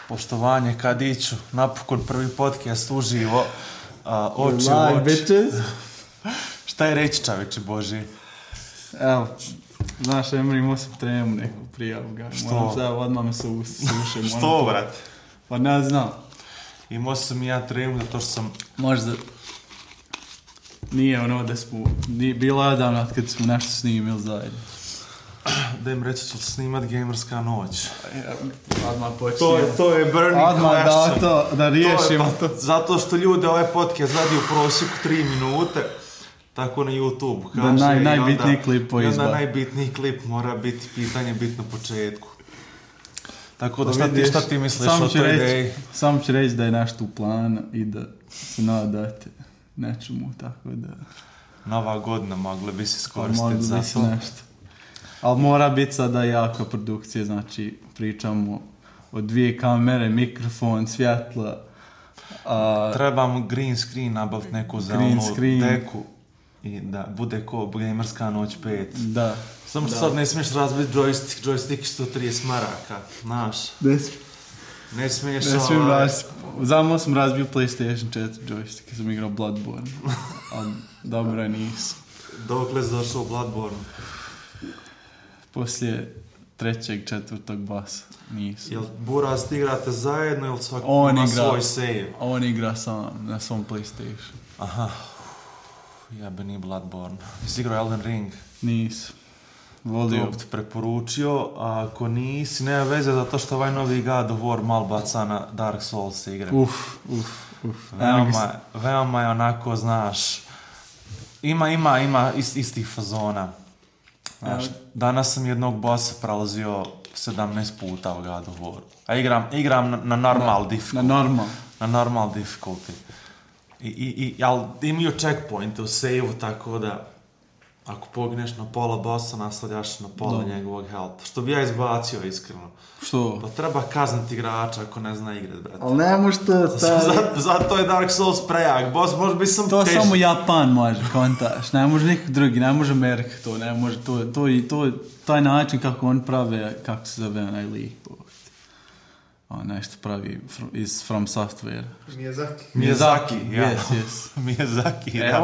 Poštovanje, kad iću, napokon prvi podcast uživo, oči u Live, oči. bitches. Šta je reći, čaveče Boži? Evo, znaš, Emre, imao sam tremu neku prijavu ga. Što? Moram sad, odmah me se suše. Što, brate? Pa ne znam. Imao sam i ja tremu zato što sam... Možda... Nije ono da smo... Bilo je davno kad smo nešto snimili zajedno. Da im reći ću snimat Gamerska noć. Odmah počinje. To je burning Odmah question. da riješimo to. Zato što ljude ovaj podcast radi u prosjeku 3 minute. Tako na YouTube kaže. Da najbitniji klip po izba. izba. I onda najbitniji klip mora biti pitanje bitno početku. Tako da šta ti misliš o toj ideji? Samo ću reći da je nešto u planu i da se nadate nečemu, tako da... Nova godina mogla bi se iskoristiti za to. Nešto. Ali mora biti sada jaka produkcija, znači pričamo o 2 kamere, mikrofon, svjetla. Trebamo green screen, nabaviti neku zelenu deku i da bude ko Gamerska noć 5. Da. Samo što sad ne smiješ razbiti joystick 130 maraka, znaš. Ne smiješ Zamo sam razbio PlayStation 4 joystick, kad sam igrao Bloodborne. Ali dobro nisam. Dokle si došao u Bloodborne? Poslije 3. 4. basa nisam. Jel Buraz ti igrate zajedno ili svaki ima svoj save? On igra sam na svom PlayStation. Aha. Jebeni Bloodborne. Jesi igrao Elden Ring? Nisam. Volio. To bi ti preporučio, a ako nisi, nema veze zato što ovaj novi God of War mal baca na Dark Souls igre. Veoma je onako, znaš, ima istih fazona. Znaš, danas sam jednog bossa prelazio 17 puta u God of War. A igram na normal difficulty. Na normal difficulty. Ali imaju checkpointe u save-u, tako da ako pogineš na pola bossa, nastavljaš na pola njegovog health. Što bi ja izbacio, iskreno. Što? Pa treba kazniti igrača ako ne zna igrat, brate. Ali ne može to... Zato je Dark Souls prejak. Boss može biti sam to teži. Samo Japan može, kontaš. Ne može nikog drugi, ne može Amerika to. Ne može taj način kako on prave, kako se zove onaj lik. On nešto pravi iz From Software. Miyazaki, ja. Yes. Miyazaki, da.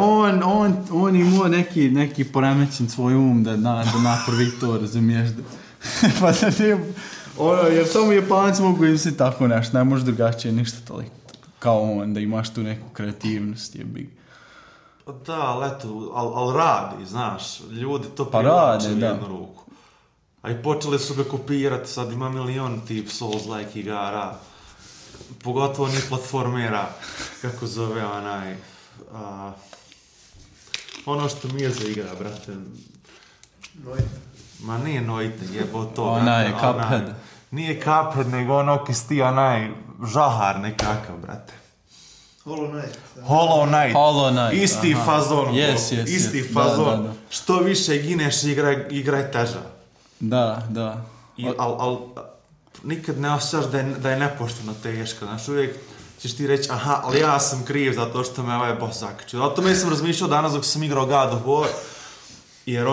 On imao neki poremećen svoj da napravi to, razumiješ? Pa da nije... jer samo Japanci mogu im se tako nešto, ne može drugačije ništa toliko kao on, da imaš tu neku kreativnost, jebi. Da, ali radi, znaš, ljudi to privlače u jednu ruku. A i počeli su ga kopirati, sad ima milion tip Souls-like igara, pogotovo ni platformera, kako zove onaj, ono što mi je za igra, brate. Ma nije Noite, jebo to. Onaj, Cuphead. Nije Cuphead, nego ono kisti onaj žahar nekakav, brate. Hollow Knight. Isti fazon. Isti fazon. Da. Što više gineš, igra je teža. Da. Ali nikad ne osjećaš da je nepošteno teško. Znaš, uvijek ćeš ti reći, aha, ali ja sam kriv zato što me ovaj boss zakačio. O tome sam razmišljao danas dok sam igrao God of War. Jer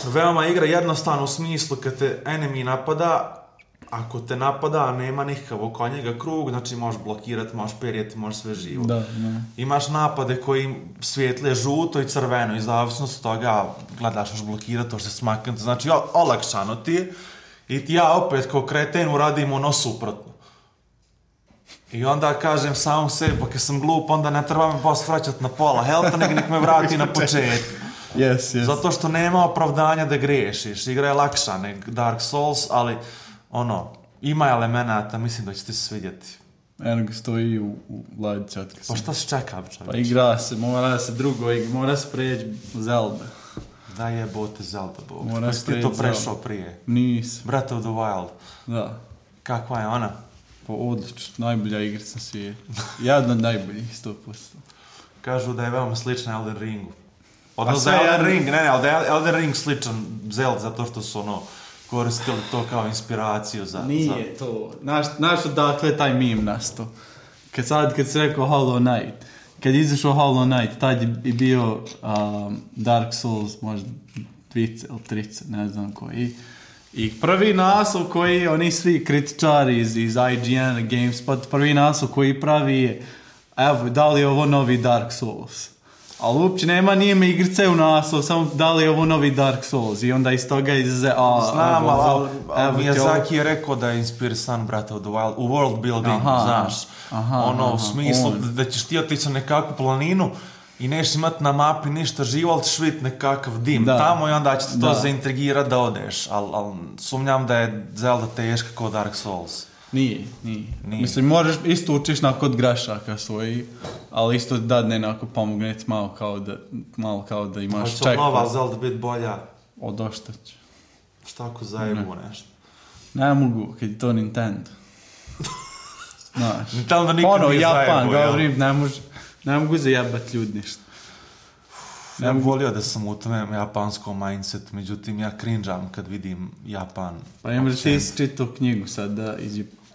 veoma igra jednostavno u smislu kad te enemy napada, ako te napada, nema nikakav oko njega krug, znači možeš blokirati, možeš perijeti, možeš sve živo. Da. Imaš napade koji svijetle žuto i crveno i zavisnost od toga gledaš, možeš blokirati, to što se smaknuti, znači olakšano ti i ja opet kao kreten uradim ono suprotno. I onda kažem samom sebi, pa kad sam glup, onda ne treba me boss vraćati na pola healtha, nek me vrati na početku. Yes. Zato što nema opravdanja da griješiš. Igra je lakša nek Dark Souls, ali ima elemenata, mislim da će ti se svidjeti. Eno ga stoji u ladici otkada. Pa šta se čeka, čovječ? Pa igra se, mora se mora se preći Zelda. Da jebote Zelda, bog. Mora se ti to prešao prije? Nisam. Breath of the Wild. Da. Kakva je ona? Pa odlično, najbolja igrica na svijetu. Jedna od najboljih, 100%. Kažu da je veoma slična Elden Ringu. Odnosno Elden Ring, ali da je Elden Ring sličan Zelda zato što su koristili to kao inspiraciju za... Nije to. Znaš odakle je taj meme nastao? Kad si rekao Hollow Knight, kad je izašao Hollow Knight, tad je bio Dark Souls, možda 20 ili 30, ne znam koji. I prvi naslov koji oni svi kritičari iz IGN, GameSpot, prvi naslov koji pravi je evo, da li je ovo novi Dark Souls? Ali uopće nema nijeme igrice u naslov, samo da li je ovo novi Dark Souls i onda iz toga izze... Znam, ali Miyazaki je rekao da je inspirisan, brate, u world building, znaš. U smislu da ćeš ti otići na nekakvu planinu i neš imat na mapi ništa živo, ali ćeš vidjeti nekakav dim tamo i onda će te to zaintrigirati da odeš. Ali sumnjam da je Zelda teška kao Dark Souls. Nije. Mislim, možeš isto učiš kod grašaka svoji, ali isto dadne onako pomogneti malo kao da imaš checkpoint. Hoće nova Zelda biti bolja? Odošta će. Šta ako zajebu nešto? Ne mogu, kad je to Nintendo. Znaš. Nintendo nikad nije Japan, zajebu, govorim, ne mogu zajebati ljudi ništa. Ja bih volio da sam u tome japanskom mindset, međutim ja cringeam kad vidim Japan. Pa ima da ti si čitao knjigu sad da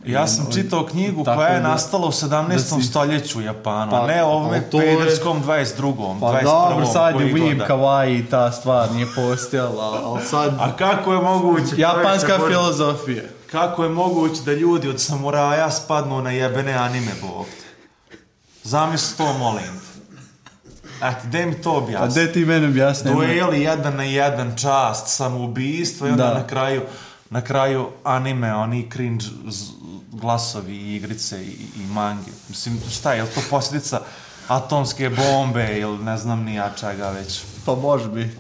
Ja sam čitao knjigu koja je nastala u 17. stoljeću u Japanu, a ne ovome pederskom 22. Pa 21. dobro, sad je weeb, kawaii i ta stvar nije postojala, ali sad... A kako je moguće... Japanska filozofija. Kako je moguće da ljudi od samuraja spadnu na jebene anime bogte? Zamisli to, molim te. Eto, gdje mi to objasni? A gdje ti meni objasni? Dueli 1 na 1, čast, samoubistvo i onda na kraju anime, oni cringe glasovi i igrice i mangi. Mislim, šta je, je li to posljedica atomske bombe ili ne znam ni ja čega već? Pa može biti.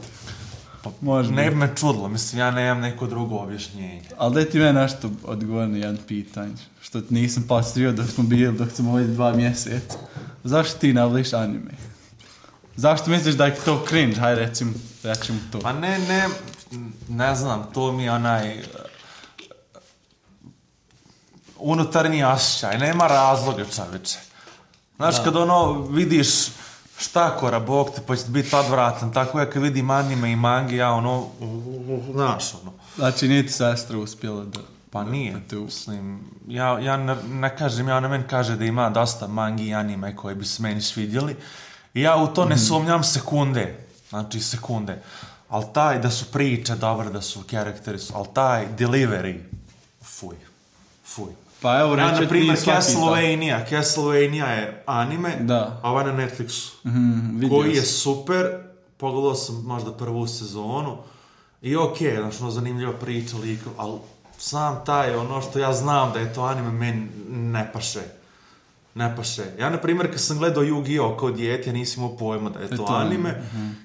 Ne bi me čudilo, mislim, ja nemam neko drugo objašnjenje. Ali daj ti me nešto odgovor na jedan pitanje, što nisam postavio dok smo ovdje 2 mjeseca. Zašto ti navliš anime? Zašto misliš da je to cringe? Hajde, recimo to. Pa ne znam, to mi je onaj unutarnji osjećaj, nema razloga, čoveče. Znaš, kad vidiš štakora, bog te, pa će biti odvratan, tako ja kad vidim anime i mangi, ja znaš, Znači, nije ti sestra uspjela da... Pa nije, mislim, ja ne kažem, ja na meni kaže da ima dosta mangi i anime koje bi se meni svidjeli i ja u to ne sumnjam sekunde, ali taj da su priče dobre, da su karakteri, ali taj delivery, fuj. Pa evo reći, na primjer, Castlevania je anime, a ovaj na Netflixu, koji je super, pogledao sam možda prvu sezonu i znači, zanimljiva priča, ali sam taj, što ja znam da je to anime, meni ne paše. Ja, na primjer, kad sam gledao Yu-Gi-Oh! Kao dijete, ja nisam imao pojma da je to anime,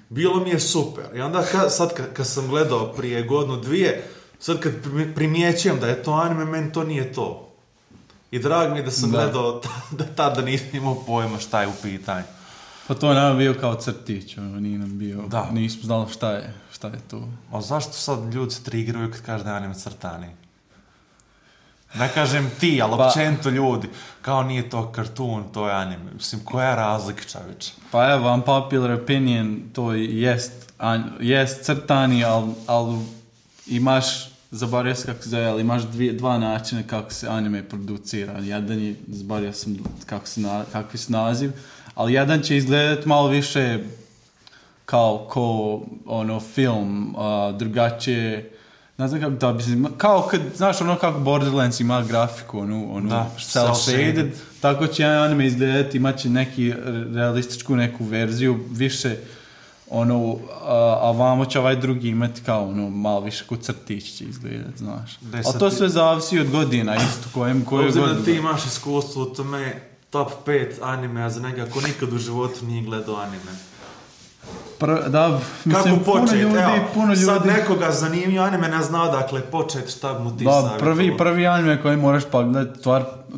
bilo mi je super. I onda sad kad sam gledao prije godinu, 2, sad kad primjećujem da je to anime, meni to nije to. I drago mi je da sam gledao tada nisam imao pojma šta je u pitanju. Pa to je nam bio kao crtić, nije nam bio, nismo znali šta je to. A zašto sad ljudi se triggeruju kad kaže da je anime crtani? Ne kažem ti, ali općenito ljudi, kao nije to kartun, to je anime. Mislim, koja je razlika, čoveče? Pa evo, unpopular opinion, to jest crtani, ali imaš, zaboravio sam kako se zove, ali imaš dva načina kako se anime producira. Jedan je, zaboravio sam kakvi su naziv, ali jedan će izgledati malo više kao film, drugačije. Ne znam kako da bi se... Kao kad, znaš, kako Borderlands ima grafiku, cel-shaded, tako će anime izgledati, imat će neki realističku neku verziju, više, a vamo će ovaj drugi imati kao, malo više kod crtić će izgledati, znaš. Ali to sve zavisi od godina, isto koju godinu. Da ti imaš iskustvo u tome, top 5 anime, za njega ko nikad u životu nije gledao anime. Mislim, kako početi? Puno ljudi. Sad nekoga zanimljivo anime ne zna odakle početi, šta mu ti savjetovao. Prvi anime koji moraš pogledati,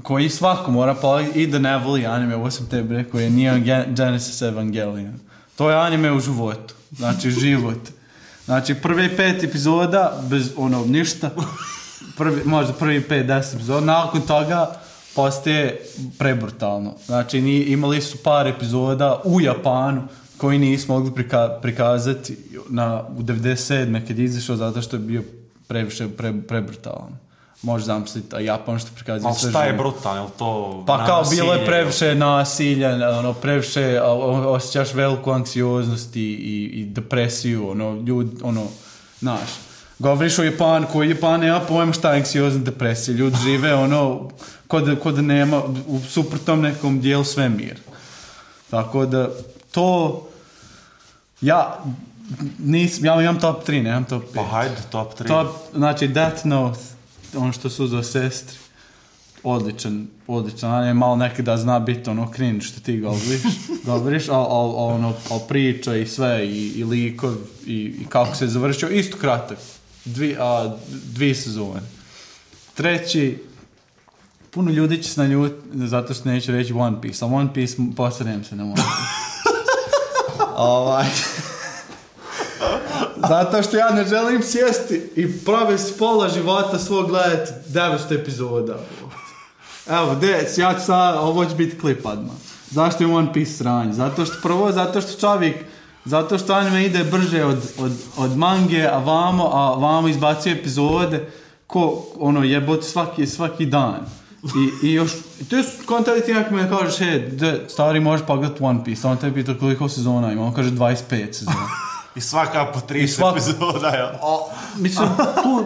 koji svako mora pogledati i da ne voli anime, ovo sam tebi rekao, je Neon Genesis Evangelion. To je anime u životu, znači život. Znači prvi 5 epizoda, bez ništa, možda prvi 5-10 epizoda, nakon toga postaje prebrutalno. Znači imali su par epizoda u Japanu, koji nismo mogli prikazati u 97. kad je izašao zato što je bio previše prebrutalan. Možeš zamisliti, a Japan što prikazuje sve šta je brutalno, je li to pa kao bilo je previše nasilja, previše osjećaš veliku anksioznost i depresiju, znaš. Govoriš o Japanu, koji Japan nema pojma šta je anksiozna depresija. Ljudi žive ono, kod da nema u suprotnom nekom dijelu svemira. Tako da, to... Ja imam top 3, nemam top 5. Pa hajde, top 3. Znači, Death Note, ono što su za sestri. Odličan. On je malo nekada zna biti ono cringe što ti govoriš, ali priča i sve, i likov, i kako se završio, isto kratak. 2 sezone. Treći, puno ljudi će se naljutiti zato što neću reći One Piece, a One Piece posredem se na One Piece. Zato što ja ne želim sjesti i provesti pola života svog gledati 900 epizoda. Evo, ja ću sad, ovo će biti klip odmah. Zašto je One Piece sranje? Zato što anime ide brže od mange, a vamo izbacuje epizode ko ono jebote svaki dan. I još, to je kontakt ti nekako me kažeš, stari možeš pogledati One Piece, on te pita koliko sezona ima, on kaže 25 sezona. I svaka po 30 epizoda, ja. Mislim, tu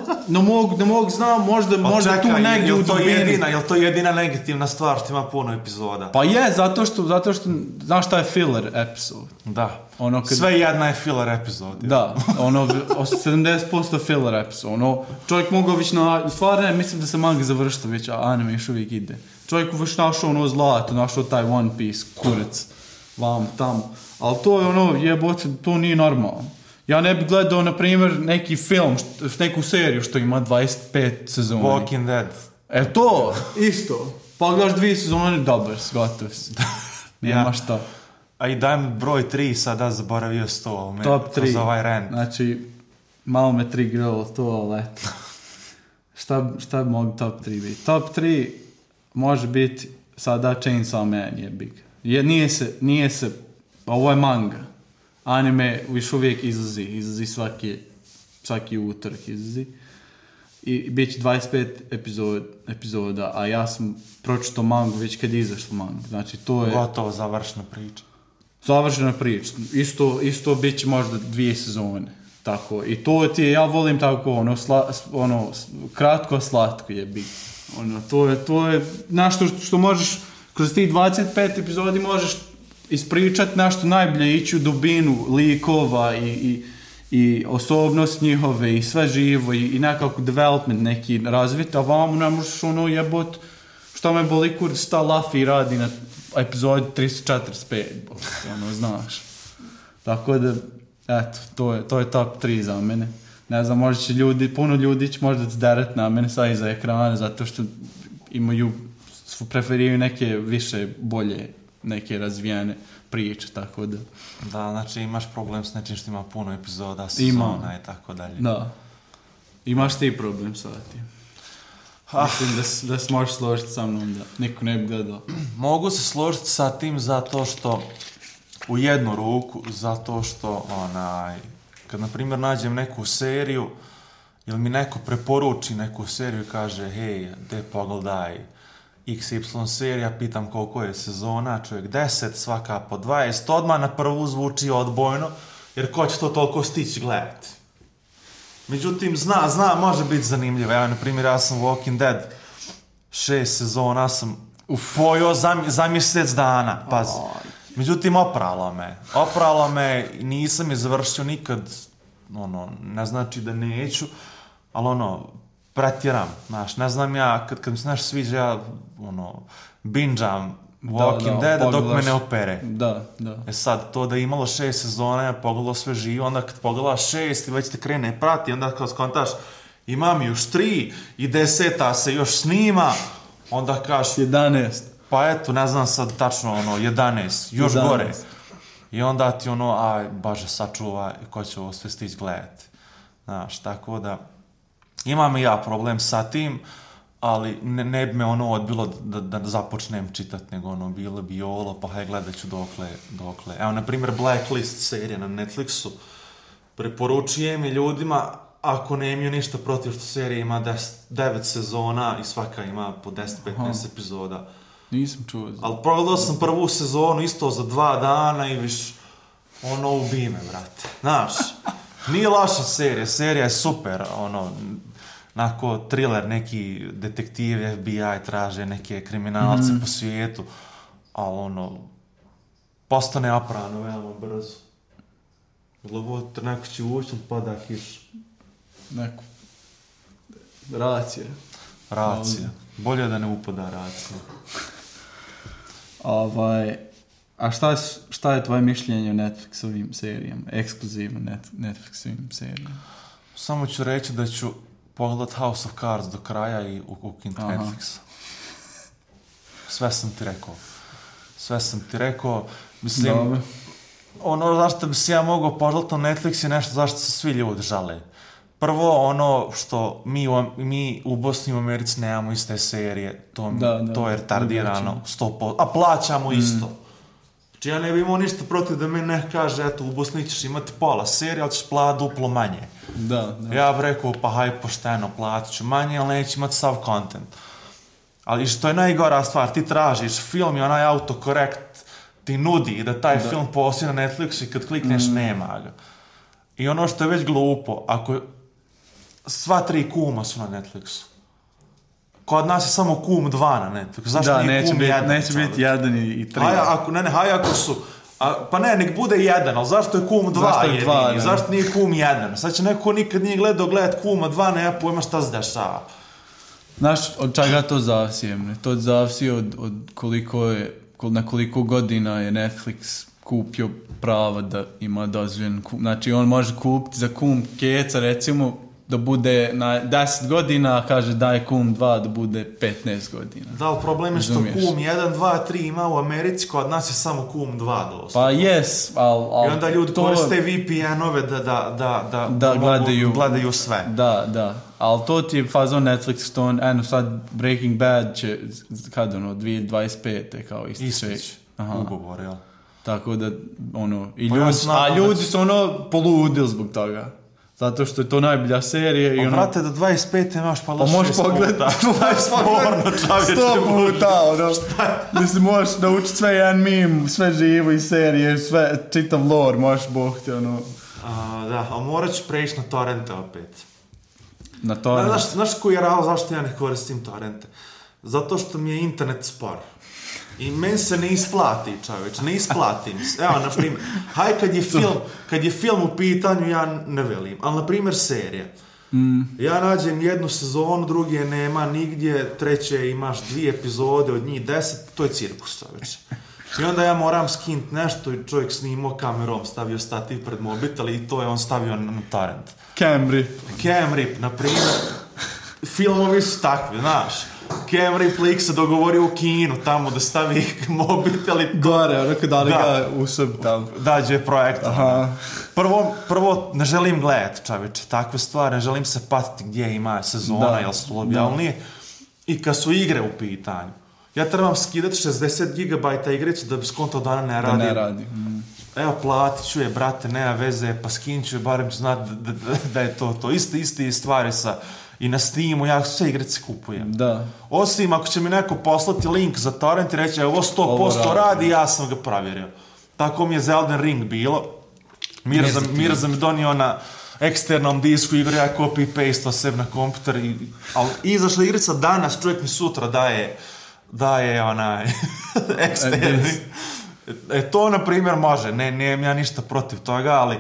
ne mogu znam, možda tu negdje u dubini. Jel to jedina negativna stvar što ima puno epizoda? Pa je, zato što znaš šta je filler episode. Da, sve jedna je filler epizod. Da, 70% filler episode. Čovjek mogao već stvarno mislim da se manga završila već, a anime još uvijek ide. Čovjek već našao zlato, našao taj One Piece, kurac, vam, tamo. Ali to je jebote, to nije normalno. Ja ne bih gledao, na primjer, neki film, neku seriju što ima 25 sezona. Walking Dead. To, isto. Pogledaš 2 sezone, dobar, gotov si. Nema šta. A i daj mi broj 3, sada zaboravio 100. Top 3. Kroz ovaj rant. Znači, malo me triggeralo to, ali eto. Šta bi mogu top 3 biti? Top 3 može biti sada Chainsaw Man je big. Nije se, ovo je manga. Anime još uvijek izlazi svaki utorak izlazi. I bit će 25 epizoda, a ja sam pročitao mangu već kad je izašla manga. Znači, to je... Gotovo završena priča. Završena priča. Isto bit će možda 2 sezone. Tako. I to ti je, ja volim tako, kratko, slatko je bit. To je nešto što možeš, kroz tih 25 epizodi možeš ispričati nešto najbolje, ići u dubinu likova i osobnost njihove i sve živo i nekako development neki razvit, a vam ne možeš jebot što me boli kur sta Luffy radi na epizodi 345, znaš. Tako da, eto, to je top 3 za mene. Ne znam, možda će puno ljudi će možda zderati na mene sad iza ekrana, zato što preferiraju neke više, bolje, neke razvijene priče, tako da. Da, znači imaš problem s nečim što ima puno epizoda, sezona i tako dalje. Da. Imaš ti problem sa tim. Mislim da se možeš složiti sa mnom da niko ne bi gledao. Mogu se složiti sa tim zato što u jednu ruku, zato što kad na primjer nađem neku seriju ili mi neko preporuči neku seriju i kaže hej, de pogledaj XY serija, pitam koliko je sezona, čovjek 10, svaka po 20, odmah na prvu zvuči odbojno, jer ko će to toliko stići gledati. Međutim, zna, može biti zanimljivo. Ja, na primjer, ja sam Walking Dead 6 sezona sam pojao za mjesec dana, pazi. Međutim, opralo me, nisam je završio nikad, ne znači da neću, ali pretjeram, znaš, ne znam ja, kad mi se nešto sviđa, ja, bingeam Walking Dead dok me ne opere. Da. Sad, to da je imalo 6 sezona, ja pogledao sve živo, onda kad pogledaš 6 i već te krene prati, onda kad skontaš, imam još 3 i 10 se još snima, onda kažeš 11. Pa eto, ne znam sad tačno, 11, još 11. Gore. I onda ti aj, Bože, sačuvaj, ko će ovo sve stići gledati. Znaš, tako da, imam i ja problem sa tim, ali ne bi me odbilo da započnem čitati, nego bilo bi jolo, pa haj gledat ću dokle. Evo, na primjer, Blacklist serija na Netflixu, preporučujem i ljudima, ako ne imaju ništa protiv što serija ima 9 sezona i svaka ima po 10-15 epizoda. Nisam čuo. Ali pogledao sam prvu sezonu isto za 2 dana i viš, ubije me, brate. Znaš, Nije loša serija je super, onako thriller, neki detektivi, FBI traže neke kriminalce po svijetu, ali postane oprano veoma brzo. Glavote, neko će ući, pada kiš. Neko. Racija. Bolje da ne upada racija. A šta je tvoje mišljenje o Netflixovim serijama? Ekskluzivno Netflixovim serijama? Samo ću reći da ću pogledat House of Cards do kraja i ukinut Netflix. Sve sam ti rekao. Mislim, zašto bi se ja mogao pogledat na Netflix je nešto zašto se svi ljudi žale. Prvo, što mi u Bosni i u Americi nemamo iste serije, to je retardirano 100%, a plaćamo isto. Znači ja ne bi imao ništa protiv da mi ne kaže, eto, u Bosni ćeš imati pola serije, ali ćeš platiti duplo manje. Da. Ja bih rekao, pa haj pošteno, platit ću manje, ali neće imati sav content. Ali što je najgora stvar, ti tražiš film i onaj autokorekt ti nudi da taj film postoji na Netflixu i kad klikneš nema ga. I ono što je već glupo, ako sva 3 kuma su na Netflixu. Kod nas je samo kum 2 na Netflixu. Zašto nije kum 1? Neće biti 1 i 3. Haj ako su... Pa ne, nek bude 1, ali zašto je kum 2 jedini? Zašto nije kum 1? Sad će neko nikad nije gledat kuma 2, nema pojma šta se dešava. Znaš, od čega to zavisi? To zavisi od na koliko godina je Netflix kupio pravo da ima dozvoljen kum. Znači, on može kupiti za kum keca, recimo, da bude na 10 godina, kaže da je kum 2 da bude 15 godina. Da, ali problem je što kum 1, 2, 3 ima u Americi, kod nas je samo kum 2 dosta. Pa jes, ali... I onda ljudi koriste VPN-ove da gledaju sve. Da. Ali to ti je fazon Netflix, to sad Breaking Bad će, 2025. kao ističe. Ugovor, jel? Tako da, ljudi su poludili zbog toga. Zato što je to najbolja serija. Brate, do 25. imaš pa možeš 6 puta. Sto puta. Mislim, možeš naučiti sve jedan meme, sve živo iz serije, sve čitav lore, možeš bohti. Da, ali morat ću preći na torrente opet. Na torrente? Znaš koji je razlog zašto ja ne koristim torrente? Zato što mi je internet spor. I meni se ne isplati, čovječ, ne isplatim se. Evo, na primjer, kad je film u pitanju, ja ne velim, ali, na primjer, serija. Ja nađem 1 sezonu, druge nema nigdje, treće imaš 2 epizode, od njih 10, to je cirkus, čovječ. I onda ja moram skinuti nešto i čovjek snimao kamerom, stavio stativ pred mobitel i to je on stavio na torrent. Cam Rip, na primjer, filmovi su takvi, znaš. Cam Rip se dogovorio u kinu tamo da stavi mobitel i... Gore, onako da li ga usub tamo. Dađe projektor. Prvo, ne želim gledati, čovječe, takve stvari, ne želim se patiti gdje ima sezona, jel su objavljenije. I kad su igre u pitanju, ja trebam skidati 60 GB igricu da bi skonto dana ne radi. Evo, platit ću je, brate, nema veze, pa skinit ću je, barem ću znati da je to. Iste stvari sa... I na Steamu ja sve igrice kupujem. Da. Osim ako će mi neko poslati link za torrent i reći ovo 100% radi, ja sam ga provjerio. Tako mi je za Elden Ring bilo. Mirza mi donio na eksternom disku igru, ja copy-paste sebi na kompjuter. Ali izašla igrica danas, čovjek mi sutra daje onaj eksterni. To, na primjer, može. Nemam ja ništa protiv toga, ali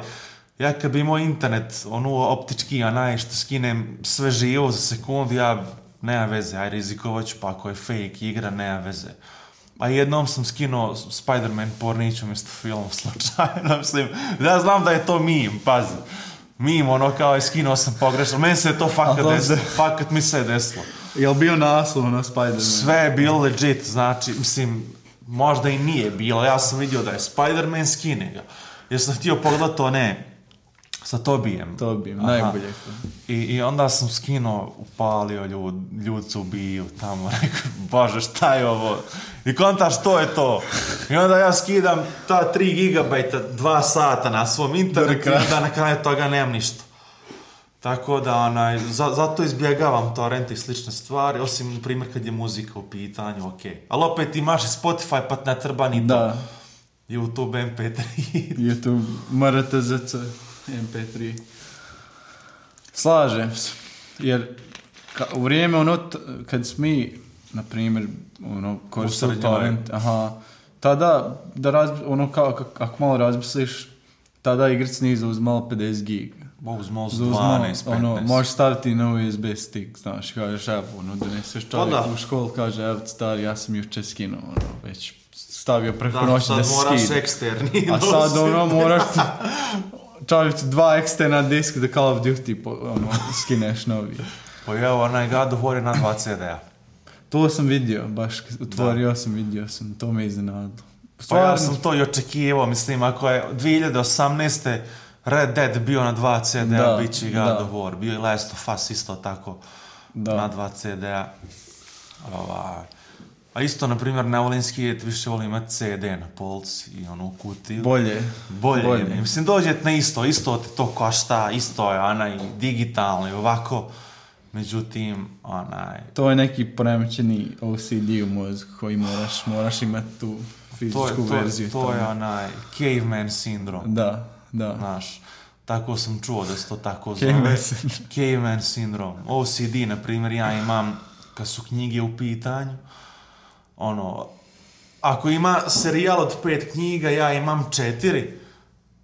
ja kad bi imao internet, optički, što skinem sve živo za sekundu, ja nema veze, aj rizikovat ću, pa ako je fake igra, nema veze. A jednom sam skinuo Spider-Man porniću mjesto film slučajno, mislim, ja znam da je to meme, pazi. Meme, kao je skinuo sam pogrešno, meni se je to fakat mi se je desilo. Je li bio naslov na Spider-Man? Sve je bilo legit, znači, mislim, možda i nije bilo, ja sam vidio da je Spider-Man, skine ga. Jer sam htio pogledati to, sa Tobijem, najbolje. I onda sam skinuo, upalio ljudi se ubiju tamo, rekao, bože, šta je ovo? I kontaš, to je to. I onda ja skidam ta 3 GB 2 sata na svom internetu i onda na kraju toga nemam ništa. Tako da, zato izbjegavam torrent i slične stvari, osim, na primjer, kad je muzika u pitanju, okej. Ali opet imaš i Spotify, pa ne treba ni to. YouTube, MP3. YouTube, MRTZC. MP3. Slažem se. Jer u vrijeme kad smo mi, na primjer, koristili torrent, tada, ako malo razmisliš, tada igric nije zauzmalo 50 giga. Uzmalo 12-15. Možeš staviti na USB stick, znaš, kažeš, evo, doneseš čovjek u školu, kaže, evo, stari, ja sam jučer skinuo, već stavio preko noći da se skine. Sad moraš eksterni. A sad, moraš čovjek 2 eksterna disk da Call of Duty, skineš novi. Pa evo, onaj God of War je na 2 CD-a. To sam vidio, baš otvorio sam, vidio sam, to me iznenadilo. Pa ja sam to i očekivao, mislim, ako je 2018. Red Dead bio na 2 CD-a, bit će God of War, bio i Last of Us isto tako na 2 CD-a. A isto, na primjer, ne volim skijet, više volim imati CD na polci i u kutiju. Bolje. Mislim, dođete na isto te to košta, isto je onaj digitalno i ovako. Međutim, to je neki poremećeni OCD u mozgu koji moraš imati tu fizičku verziju. To je onaj caveman sindrom. Da. Znaš, tako sam čuo da se to tako zove. Caveman sindrom. OCD, na primjer, ja imam, kad su knjige u pitanju, ako ima serijal od 5 knjiga, ja imam 4,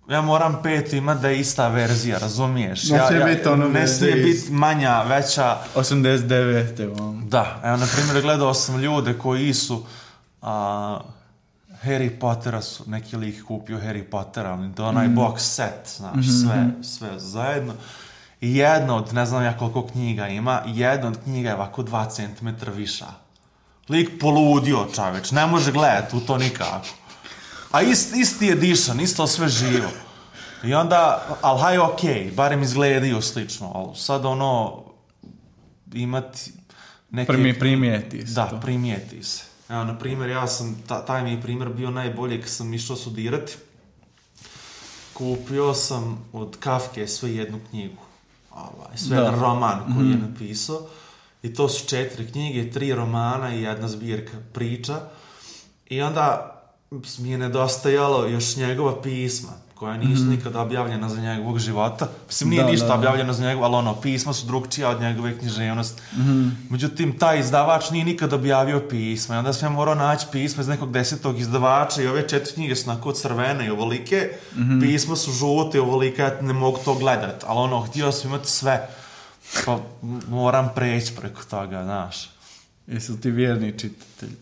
ja moram 5 imati da je ista verzija, razumiješ? Ne smije biti manja, veća. 89. Da, evo, na primjer, gledao sam ljude koji su Harry Pottera su, neki lik kupio Harry Pottera, ali to je onaj box set, znaš, sve zajedno. I jedna od, ne znam ja koliko knjiga ima, jedna od knjiga je ovako 2 cm viša. Lik poludio, čaveč, ne može gledati u to nikako. A isti edition, isto sve živo. I onda, ali haj okej, barem izgledaju slično, ali sad imati neke... Primijeti se. Da, primijeti se. Evo, na primjer, ja sam, taj mi je primjer bio najbolji kad sam išao studirati. Kupio sam od Kafke sve jednu knjigu. Sve jedan roman koji je napisao. I to su 4 knjige, 3 romana i jedna zbirka priča. I onda mi je nedostajalo još njegova pisma, koja nisu nikada objavljena za njegovog života. Mislim, nije ništa objavljeno za njegov, ali pisma su drugčija od njegove književnosti. Međutim, taj izdavač nije nikada objavio pisma. I onda sam ja morao naći pisma iz nekog 10. izdavača i ove 4 knjige su onako crvene i ovolike. Pisma su žute i ovolike, ja ne mogu to gledati. Ali htio sam imati sve. Pa moram preći preko toga, znaš. Jesi li ti vjerni čitatelj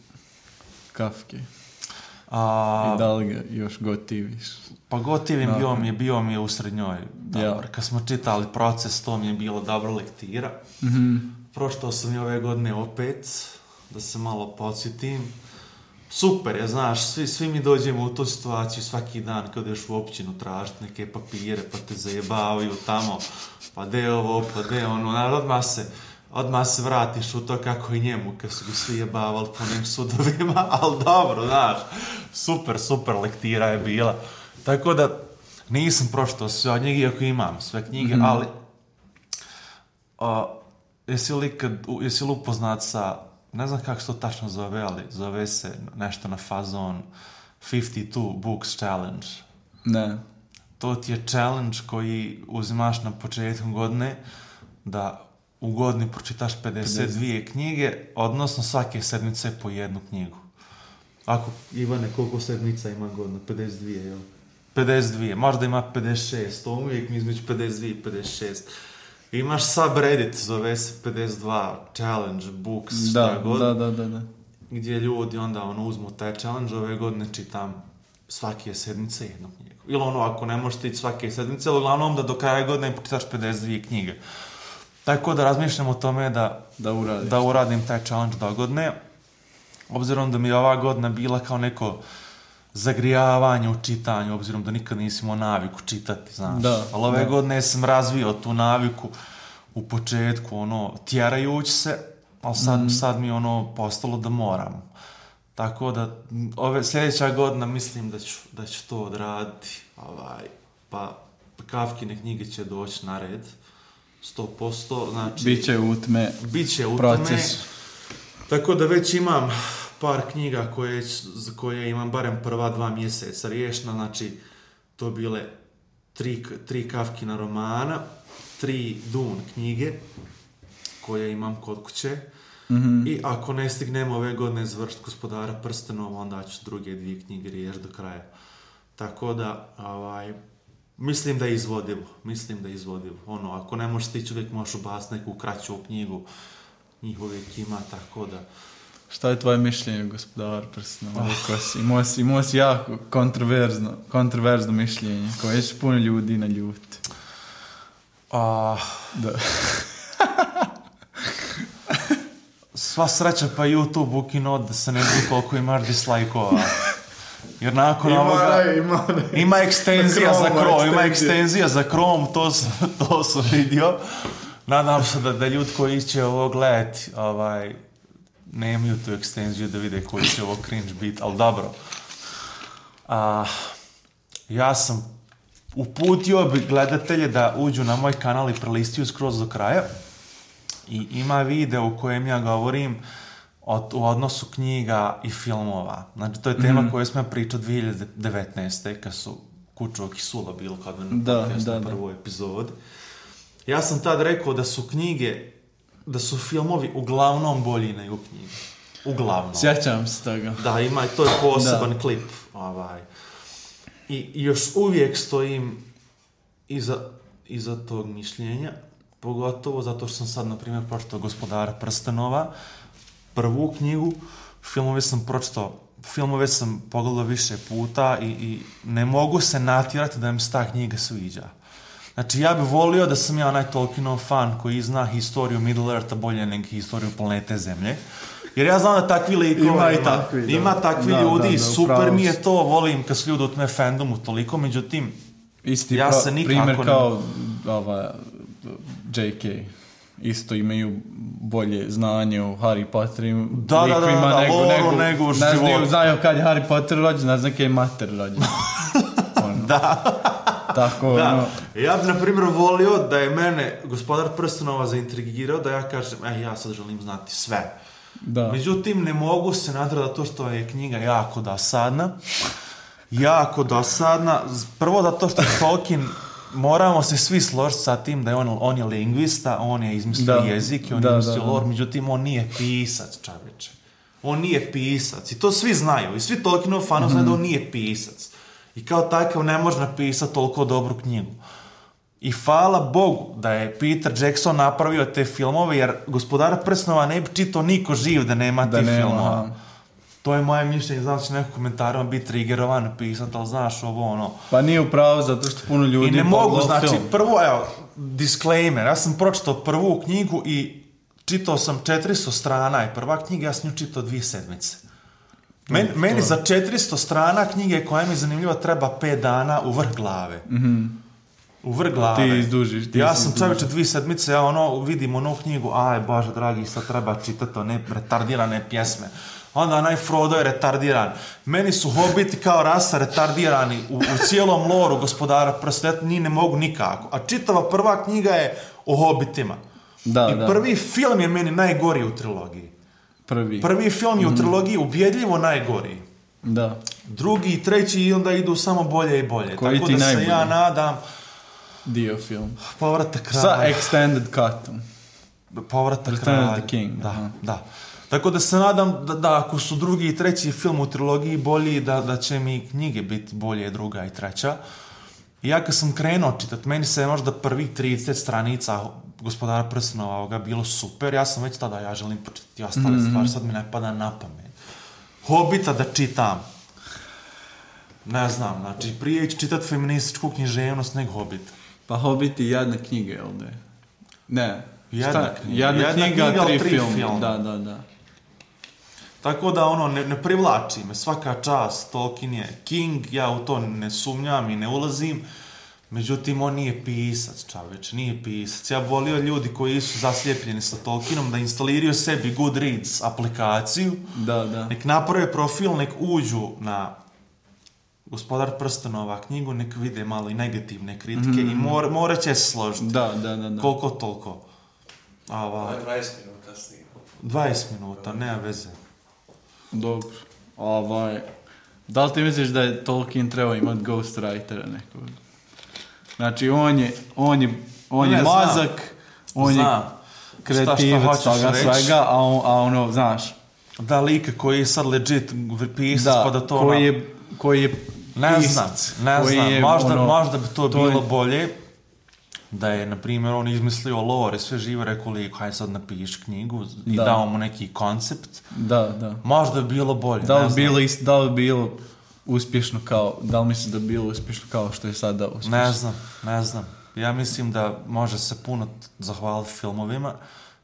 Kafke? I da li ga još gotiviš? Pa gotivim bio mi je u srednjoj. Kad smo čitali Proces, to mi je bilo dobra lektira. Pročitao sam i ove godine opet, da se malo podsjetim. Super je, znaš, svi mi dođemo u tu situaciju svaki dan kad ideš u općinu tražiti neke papire, pa te zajebavaju tamo, pa de ovo, pa de ono, odmah se vratiš u to kako i njemu, kad su ga svi jebavali po njim sudovima, ali dobro, znaš, super lektira je bila. Tako da nisam pročitao sve od njega, iako imam sve knjige, ali jesi li upoznat sa, ne znam kako se to tačno zove, ali zove se nešto na fazon 52 Books Challenge. Ne. To ti je challenge koji uzimaš na početku godine da u godini pročitaš 52 knjige, odnosno svake sedmice po jednu knjigu. Ako, Ivane, koliko sedmica ima godina? 52, jel? 52, možda ima 56, to uvijek mi između 52 i 56. Imaš subreddit, zove se 52 challenge books, šta god. Da. Gdje ljudi onda uzmu taj challenge, ove godine čitam svake sedmice jednu knjigu. Ili ako ne možeš ići svake sedmice, ali uglavnom da do kraja godine pročitaš 52 knjige. Tako da razmišljam o tome da uradim taj challenge do godine. Obzirom da mi je ova godina bila kao neko zagrijavanje u čitanju, obzirom da nikad nisam imao naviku čitati, znaš. Ali ove godine sam razvio tu naviku u početku, tjerajući se, ali sad mi je postalo da moram. Tako da sljedeća godina mislim da ću to odraditi. Pa Kafkine knjige će doći na red. 100%, znači... Biće utme proces. Tako da već imam par knjiga za koje imam barem prva 2 mjeseca riješena, znači to bile tri Kafkina romana, 3 Dune knjige koje imam kod kuće. I ako ne stignem ove godine završiti Gospodara prstenova, onda ću druge 2 knjige riješiti do kraja. Tako da, mislim da je izvodivo. Ono, ako ne možeš stići, uvijek možeš ubaciti neku kraću knjigu, njih uvijek ima, tako da... Šta je tvoje mišljenje, Gospodar prstenova? Imao si jako kontroverzno mišljenje, koje će puno ljudi naljuti. Da. Sva sreća pa YouTube ukinuo da se ne zna koliko imaš dislajkova. Jer nakon ovoga ima ekstenzija za Chrome, ima ekstenzija za Chrome, to sam vidio. Nadam se da ljudi koji će ovo gledati, nemaju tu ekstenziju da vide koji će ovo cringe biti, ali dobro. Ja sam uputio bi gledatelje da uđu na moj kanal i prelistiju skroz do kraja. I ima video u kojem ja govorim u odnosu knjiga i filmova. Znači, to je tema koju smo pričali 2019. kad su Kučovak i Sula bilo kad na prvoj epizodi. Ja sam tad rekao da su filmovi uglavnom bolji nego knjige. Uglavnom. Sjećam se toga. Da, ima i to je poseban klip. I još uvijek stojim iza tog mišljenja. Pogotovo zato što sam sad, na primjer, pročitao Gospodara prstenova, prvu knjigu, filmove sam pogledao više puta i ne mogu se natjerati da mi se ta knjiga sviđa. Znači, ja bih volio da sam ja onaj Tolkienov fan koji zna historiju Middle-eartha bolje nego historiju planete Zemlje. Jer ja znam da takvi likova ima takvi ljudi i super mi je to, volim kad su ljudi u tome fandomu toliko, međutim, ja se nikako... Primjer kao J.K. Isto imaju bolje znanje o Harry Potteru. nego život. Znaju kad je Harry Potter rođen, ne znam kad je mater rođen. Da. Tako, da. Ja bih, na primjer, volio da je mene Gospodar prstenova zaintrigirao, da ja kažem, ja sad želim znati sve. Da. Međutim, ne mogu se natrati to što je knjiga jako dosadna. Prvo zato što je Tolkien, moramo se svi složiti sa tim da je on je lingvista, on je izmislio jezik i on je izmislio lore, međutim on nije pisac, čaveče. On nije pisac i to svi znaju i svi Tolkienov fanovi znaju da on nije pisac. I kao takav ne može napisati toliko dobru knjigu. I hvala Bogu da je Peter Jackson napravio te filmove, jer Gospodara prstenova ne bi čitao niko živ da nema tih filmova. To je moje mišljenje, znam da će neko komentarima biti triggerovan napisati, ali znaš ovo ono... Pa nije upravo zato što puno ljudi... I ne mogu, znači, prvo, disclaimer, ja sam pročitao prvu knjigu i čitao sam 400 strana i prva knjiga, ja sam nju čitao 2 sedmice. Meni za 400 strana knjige koja mi je zanimljiva treba 5 dana u vrh glave. U vrh glave. Ti izdužiš. Ja sam čovječe 2 sedmice, vidim onu knjigu, Bože dragi, sad treba čitati one retardirane pjesme. Onda onaj Frodo je retardiran. Meni su hobiti kao rasa retardirani u cijelom loru Gospodara prstenova, ni ne mogu nikako. A čitava prva knjiga je o hobitima. Prvi film je meni najgori u trilogiji. Prvi film je u trilogiji ubjedljivo najgori. Da. Drugi i treći i onda idu samo bolje i bolje. Koji tako da najbolji? Se ja nadam... Dio film. Povratak kralja. Sa extended cutom. Povratak kralja. The King. Da. Tako da se nadam da ako su drugi i treći film u trilogiji bolji, da će mi knjige biti bolje, druga i treća. I ja kad sam krenuo čitati, meni se možda prvih 30 stranica Gospodara prstenova ovoga bilo super, ja sam već tada, ja želim počitati ostale stvari, sad mi ne pada na pamet. Hobita da čitam. Ne znam, znači prije ići čitati feminističku književnost nego Hobita. Pa Hobbit je jedna knjiga, jel da je? Ne. Jedna knjiga, 3 filma. Da. Tako da ne privlači me, svaka čast, Tolkien je king, ja u to ne sumnjam i ne ulazim, međutim on nije pisac, čaveč, nije pisac. Ja volio ljudi koji su zaslijepljeni sa Tolkienom da instaliraju sebi Goodreads aplikaciju, nek naprave profil, nek uđu na Gospodar prstenova knjigu, nek vide malo i negativne kritike i morat će se složiti. Da. Koliko toliko. 20 minuta snima. 20 minuta, nema veze. Dobro. Da li ti misliš da je Tolkien trebao imati ghostwritera nekog? Znači, on je mozak, on je kreativac toga svega, a ono, znaš... Da, lika koji je sad legit pisac, pa da to... Koji je ne pisac. Ne znam, možda bi to bilo bolje da je, na primjer, on izmislio lore, sve živo, rekao liko, hajde sad napiši knjigu i dao mu neki koncept. Da. Možda bi bilo bolje, da li bilo uspješno kao, da li misliš da bi bilo uspješno kao što je sada uspješno? Ne znam. Ja mislim da može se puno zahvaliti filmovima,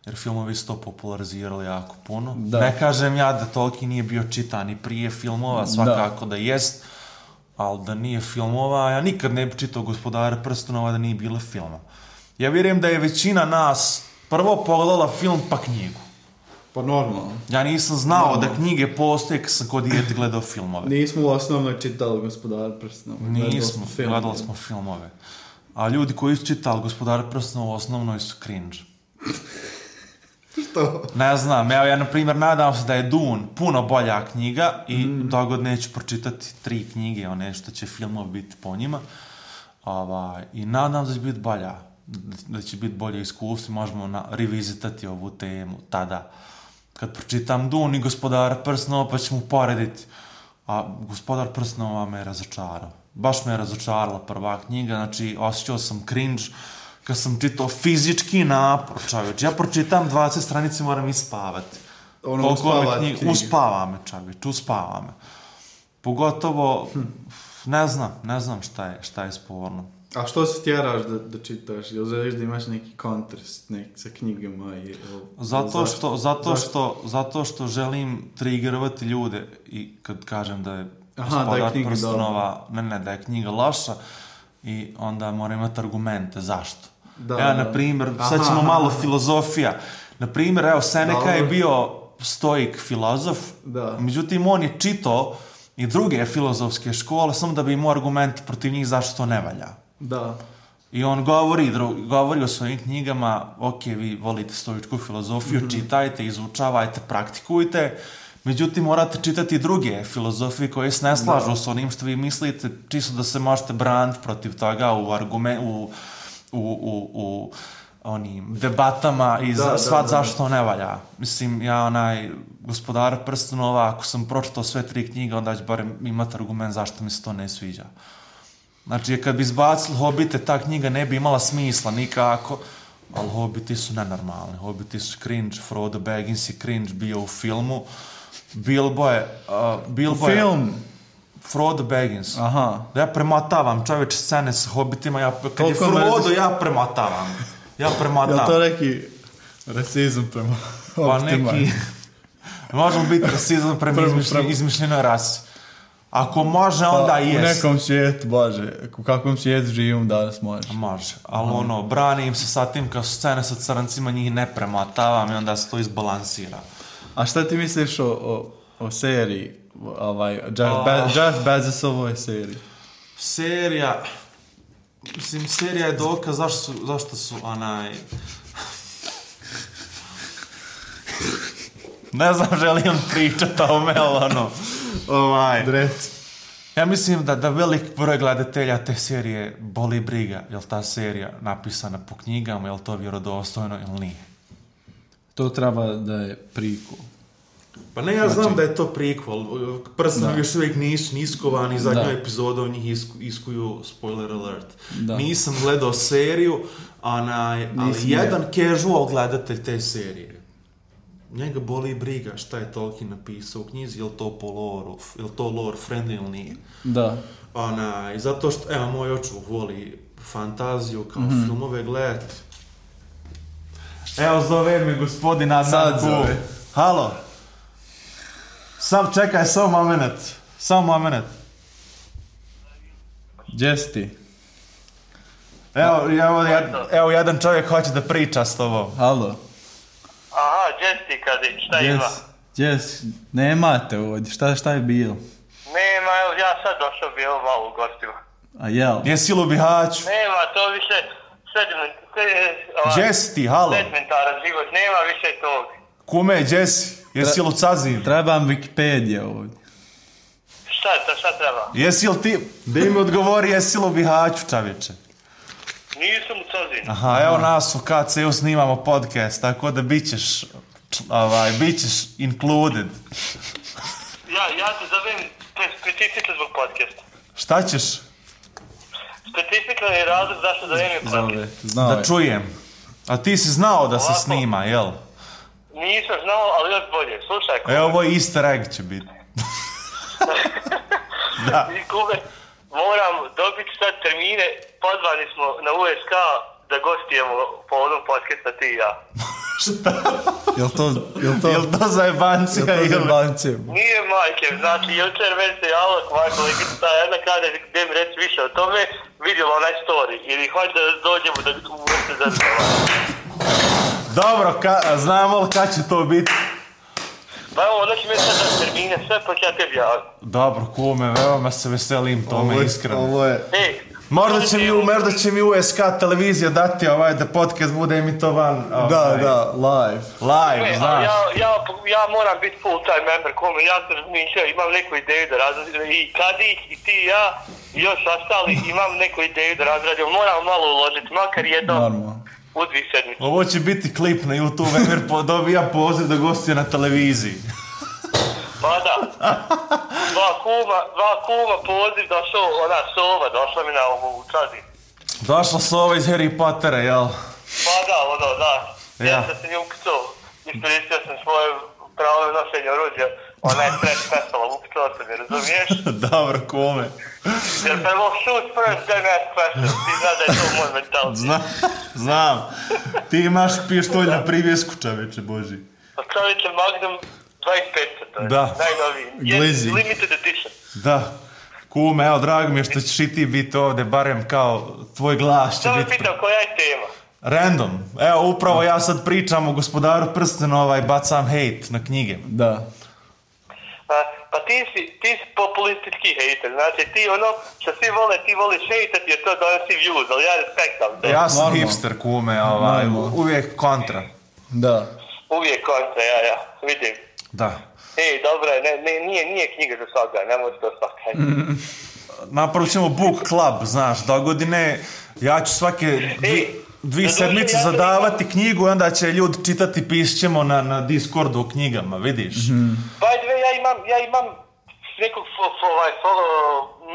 jer filmovi su to popularizirali jako puno. Da. Ne kažem ja da Tolkien nije bio čitan i prije filmova, svakako da jest, ali da nije filmova, ja nikad ne bi čitao Gospodara prstenova da nije bilo filma. Ja vjerujem da je većina nas prvo pogledala film pa knjigu. Pa normalno. Ja nisam znao da knjige postoje kad sam kod dijete gledao filmove. Nismo u osnovnoj čitali Gospodara prstenova. Nismo, gledali smo filmove. A ljudi koji su čitali Gospodara prstenova u osnovnoj su cringe. Što? Ne znam, evo ja na primjer nadam se da je Dune puno bolja knjiga i dogod neću pročitati 3 knjige, one što će filmov biti po njima. I nadam se da će biti bolja, da će biti bolje iskustvo, možemo revizitati ovu temu tada. Kad pročitam Dune i Gospodara prstenova pa ćemo porediti. A Gospodar prstenova me je razočarao. Baš me je razočarala prva knjiga, znači osjećao sam cringe kad sam čitao fizički napor, čovječ. Ja pročitam 20 stranice, moram ispavati. Uspava me, čovječ, uspava me. Pogotovo, ne znam šta je sporno. A što se tjeraš da čitaš? Jel želiš da imaš neki kontrast sa knjigama? Zato što želim triggerovati ljude i kad kažem da je Gospodar prstenova, da je knjiga loša i onda moram imati argumente zašto. Na primjer, sad ćemo malo filozofija. Na primjer, Seneca je bio stoik filozof, međutim on je čitao i druge filozofske škole samo da bi imao argument protiv njih zašto to ne valja. Da. I on govori o svojim knjigama, ok, vi volite stoičku filozofiju, čitajte, izučavajte, praktikujte, međutim morate čitati druge filozofije koje se ne slažu s onim što vi mislite, čisto da se možete braniti protiv toga u onim debatama i zašto ne valja. Mislim, ja Gospodara prstenova, ako sam pročitao sve 3 knjige, onda ću barem imati argument zašto mi se to ne sviđa. Znači, kad bi izbacili Hobite, ta knjiga ne bi imala smisla nikako, ali Hobiti su nenormalni. Hobiti su cringe, Frodo Baggins je cringe bio u filmu. Bilbo je... Film? Frodo Baggins. Aha. Da ja premotavam čovječe scene s Hobitima, kad je Frodo, ja premotavam. Ja to neki rasizam prema Hobitima? Pa neki... Možemo biti rasizam prema izmišljenoj rasi. Ako može, onda jest. U nekom svijetu, Bože, u kakvom svijetu živim danas može. Može, ali brani im se sa tim kao scene sa crncima, njih ne premotavam i onda se to izbalansira. A šta ti misliš o seriji? Jeff Bezosovoj seriji? Serija je dokaz zašto su ne znam, želim pričati o tome, ja mislim da velik broj gledatelja te serije boli briga, je li ta serija napisana po knjigama, je li to vjerodostojno ili nije. To treba da je prequel. Pa ne, ja znam da je to prequel. Prstenovi još uvijek nisu iskovani, zadnju epizodu u njih iskuju, spoiler alert. Nisam gledao seriju, ali jedan casual gledatelj te serije. Njega boli briga šta je Tolkien napisao u knjizi, je li to po loru, je li to lore friendly ili nije. Da. I zato što, moj očuh voli fantaziju kao filmove gledati. Zove mi gospodin Adnan Kul. Halo. Čekaj, samo moment. Jesti. Evo, jedan čovjek hoće da priča s tobom. Halo. Aha, Jesti Kadić, šta ima? Nemate ovdje, šta je bilo? Nema, ja sad došao bio malo u gostima. A jel? Jesi li u Bihaću? Nema, to više Jesti, halo. Sedmentaran život, nema više tog. Kume, Jesi, jesi li u Cazin? Trebam Wikipedia ovdje. Šta treba? Jesi li ti, da im odgovori, jesi li u Bihaću, čovječe? Nisam u Cazinu. Aha, evo nas u KC-u snimamo podcast, tako da bit ćeš included. Ja te zovem specifično zbog podcasta. Šta ćeš? Specifično je razlog zašto zovem je podcast. Da čujem. A ti si znao da se snima, jel? Nisam znao, ali još bolje. Slušaj, Evo, ovo easter egg će biti. Da. I Kube, moram dobiti sad termine, pozvani smo na USK da gostujemo po onom podcasta ti i ja. Jel to zajebancija? Nije majke, znači jučer meni se javila moja kolegica, jedna kada gdje mi reći više o tome, vidjela onaj story, ili hoće da dođemo da uvesti za Dobro, znamo li kad će to biti? Pa evo, onda će mi sad da termine, sve pa će ja tebi javiti. Dobro, kume, veoma se veselim tome, iskreno. Ovo je... Možda će mi USK televizija dati da podcast bude emitovan. Da, live. Live, znaš. Ja moram biti full time member, kome, ja sam razmišljao, imam neku ideju da razradim, i Kadić, i ti i ja, i još ostali, imam neku ideju da razradim, moram malo uložiti, makar jedno u 2 sedmice. Ovo će biti klip na YouTube, Emir dobija poziv da gostuje na televiziji. Pa da, dva kuma poziv došao, ona Sova, došla mi na ovu Čazin. Došla Sova iz Harry Pottera, jel? Pa da. Ja sam se nju ukcao, iskoristio sam svoje pravo nošenje oruđa, ona je stres pesala, ukcao sam je, razumiješ? Dobro, kume. Jer prvo shoot first, then ask questions, ti znaš da je to moj mentality. Znam. Ti imaš pištolj na privjesku, čoveče Boži. Pa čoveče Magnum 25, to je najnoviji. Limited edition. Da. Kume, evo, drago mi je što ćeš i ti biti ovdje, barem kao tvoj glas će biti... Samo pitam, koja je tema? Random. Evo, upravo ja sad pričam o Gospodaru prstena, bacam hejt na knjige. Da. Pa ti si populistički hejter, znači ti ono što svi vole, ti voliš hejtati jer to donosi views, ali ja respektam to. Ja sam hipster, kume, uvijek kontra. Da. Uvijek kontra, ja, vidim. Da. Dobro, nije knjiga za svaga, ne može to svaka. Napravit ćemo book club, znaš, dogodine, ja ću svake dvije sedmice zadavati knjigu i onda će ljudi čitati, pišit ćemo na Discordu o knjigama, vidiš? By the way, ja imam nekog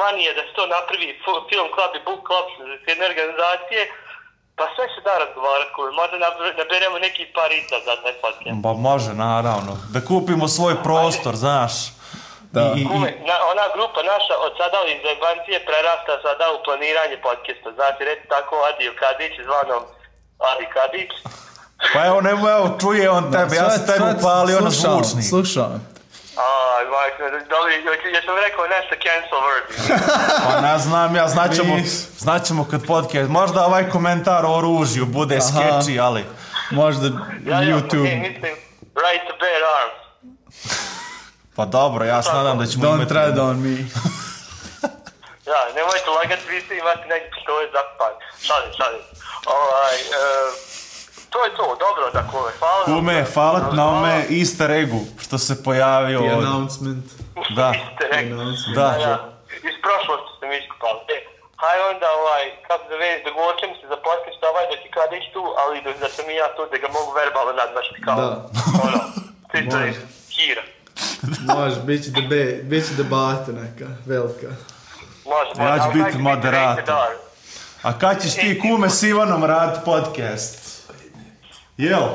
manije da se to napravi film club i book club s jedne organizacije, pa sve se da razgovarati, možda naberemo neki parica za taj podcast. Ba može, naravno. Da kupimo svoj prostor, znaš. Da. Ona grupa naša od sada iz Zajebancije prerasta sada u planiranje podcasta. Znači, reći tako Adio Kadić, zvanom Adi Kadić. Pa evo, čuje on tebe, ja sam tebi upalio na zvučnik. Slušam. Ja sam rekao nešto cancel word. Pa znam ja, znaćemo kad podcast. Možda ovaj komentar o oružju bude sketchy, ali... Možda YouTube. Mislim, right to bear arms. Pa dobro, ja se nadam da ćemo imati... Don't tread on me. Ja, nemojte lagati, vi ste imati neki pištolj zapan. Šalim. To je to, dobro da kome, hvala. Kume, hvala ti na ome easter eggu što se pojavio The od... announcement. Da. Easter egg. Da. Iz prošlosti sam iskupali. Haj onda, kako da već, dogovorit ćemo se za podcast da ti Kadić tu, ali da sam i ja tu, da ga mogu verbalno nadmašiti kao. Da. Čisto je hira. Može, bit će debata neka, velika. Može. Ja ću biti moderator. A kad ćeš ti, kume, s Ivanom raditi podcast? Jel?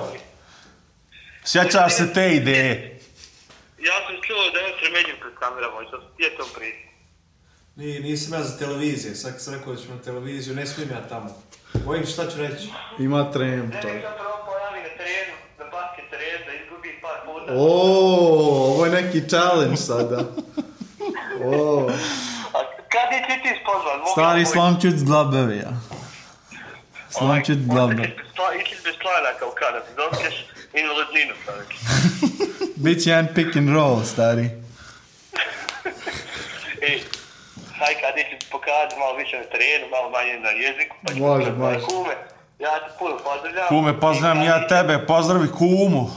Sjećaš se te ideje? Ja sam čuo da je sremeđim pred kamerama, gdje je to prije? Nisam ja za televizije, sad sam rekao da ću na televiziju, ne smijem ja tamo. Bojim šta ću reći. Ima trem to. Ne, sam prvo pojavi na terenu, na basket terenu, da izgubi par puta. Ovo je neki challenge sada. A kad je ti spozvan? Stari Slamčut z Dlabevija. Slamčut z Dlabevija. Išli bez članaka u Kanadu, dobiješ invalidninu, čovjek. Biće jedan pick and roll, stari. Haj kad ću pokazati malo više na terenu, malo manje na jeziku. Može. Kume, ja te puno pozdravljam. Kume, pozdravljam ja tebe, pozdravi kumu.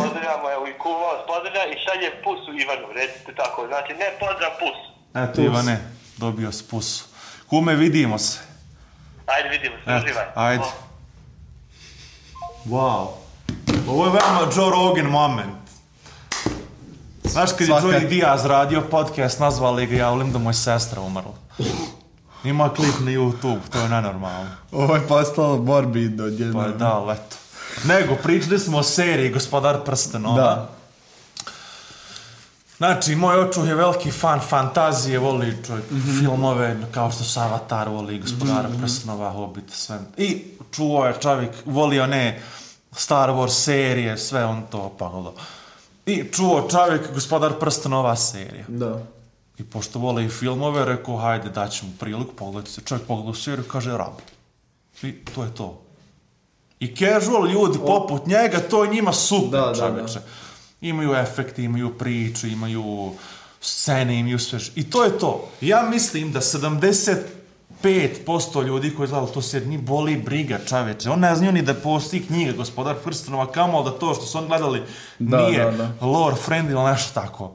Pozdravljamo, evo i kumu vas pozdravljam i šalje pusu Ivanu, recite tako. Znači, ne pozdrav pus. Eto Ivane, dobio si pusu. Kume, vidimo se. Ajde, vidimo se, uživaj. Ajde. Wow. Ovo je veoma Joe Rogan moment. Znaš kad je Joey Diaz radio podcast, nazvali ga, ja volim da moja sestra umrla. Ima klip na YouTube, to je nenormalno. Ovo je postalo morbidno odjedno. Pa da, leto. Nego, pričali smo o seriji Gospodar prstenova. Da. Znači, moj očuh je veliki fan fantazije, voli čovjek filmove, kao što su Avatar, voli Gospodara prstenova, Hobbit, sve. I čuo je čovjek, voli one Star Wars serije, sve on to pogledao. I čuo čovjek Gospodar prstenova serija. Da. I pošto vole i filmove, rekao, hajde, daću mu priliku, pogledajte se. Čovjek pogledao seriju, kaže, rab. I to je to. I casual ljudi poput njega, to je njima super, čovječe. Imaju efekti, imaju priču, imaju scene, imaju sve. I to je to. Ja mislim da 75% ljudi koji gledali to seriju, ni boli briga, čovječe. On ne znaju ni da postoji knjiga Gospodar prstenova, kamo da to što su on gledali nije lore friend ili nešto tako.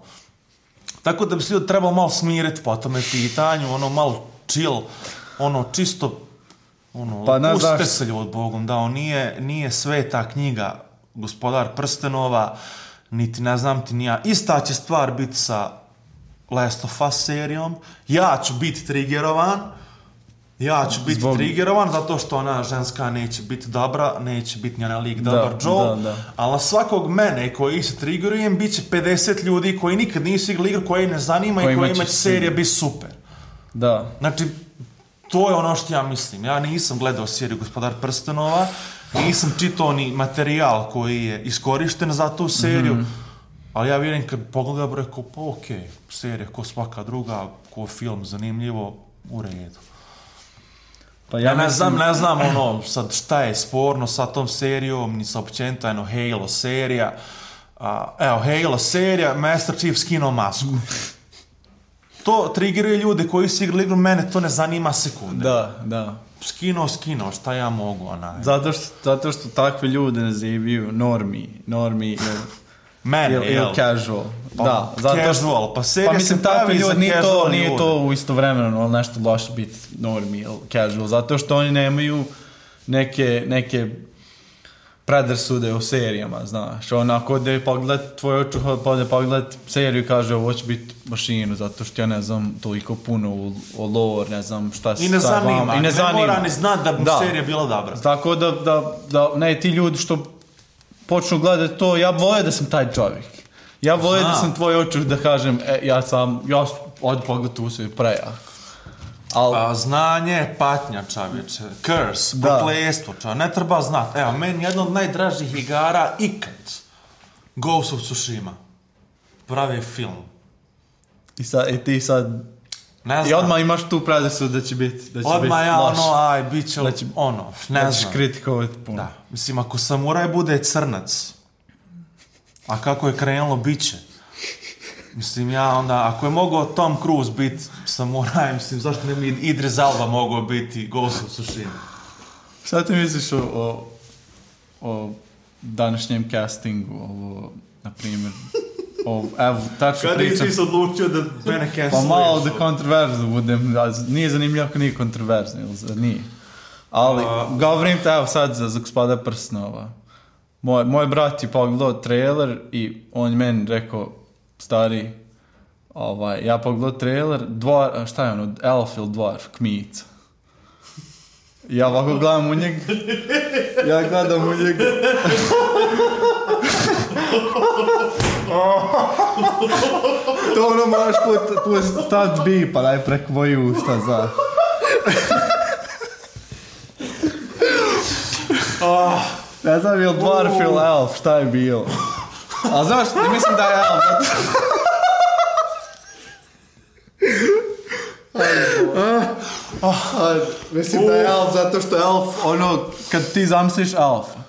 Tako da bi se ljudi trebalo malo smiriti po tome pitanju, ono malo chill, ono čisto, ono, pa pustite se ljudi Bogom, da on nije sveta knjiga Gospodar prstenova, niti ne znam ti ni ja. Ista će stvar biti sa Last of Us serijom, ja ću biti triggerovan zato što ona ženska neće biti dobra, neće biti njena lik dobar Joel, ali na svakog mene koji se triggerujem bit će 50 ljudi koji nikad nisu igrali igru, koji ne zanima i kojima će serija biti super. Da. Znači, to je ono što ja mislim. Ja nisam gledao seriju Gospodar prstenova, nisam čitao ni materijal koji je iskorišten za tu seriju, ali ja vjerujem kad pogledam, rekao, pa okej, serija ko svaka druga, ko film zanimljivo, u redu. Pa ja ne znam ono, sad šta je sporno sa tom serijom, ni sa općenito, Halo serija. Halo serija, Master Chief skinuo masku. To triggeruje ljude koji su igrali igru, mene to ne zanima sekunde. Da. Skinuo, šta ja mogu, onaj. Zato što takve ljude nazivaju normi ili casual. Da, casual, pa serija se pravi za casual ljudi. Nije to u istovremeno, ali nešto loše biti normi ili casual, zato što oni nemaju neke predrasude u serijama, znaš. Onako da je pogledat tvoj očuh, pogledat seriju i kaže ovo će biti mašinu, zato što ja ne znam toliko puno o lore, ne znam šta se sa vama. I ne mora ni znat da bi serija bila dobra. Tako da ne, ti ljudi što počnu gledati to, ja volio da sam taj čovjek. Ja volio da sam tvoj očuh da kažem, ja od pogled u sve prejak. Znanje, patnja, čovječe, curse, prokletstvo, ne treba znati. Evo, meni jedna od najdražih igara ikad, Ghost of Tsushima, pravi film. I ti sad, i odmah imaš tu predrasu da će biti loš. Odmah ja, bit će ne znam. Da ćeš kritikovati puno. Da, mislim, ako samuraj bude crnac, a kako je krenulo, bit će. Mislim, ja onda, ako je mogao Tom Cruise biti samuraj, mislim, zašto ne bi Idris Elba mogao biti Ghost of Tsushima? Šta ti misliš o današnjem castingu, na primjer, evo, tačno pričam. Kada nisi odlučio da mene castluješ? Pa malo da kontroverzno budem, nije zanimljivo ako nije kontroverzno, nije. Ali, govorim te, evo sad za Gospoda prstenova. Moj brat je pogledao trailer i on meni rekao, stari, ja pogledao trailer, šta je ono, elf ili dwarf, kmica. Ja ovako gledam u njega. To ono moraš staviti bi, pa daj preko moji usta, za. Ne znam, je li dwarf ili elf, šta je bilo? A znaš, mislim da je elf. Mislim da je elf zato što elf, kad ti zamisliš elfa,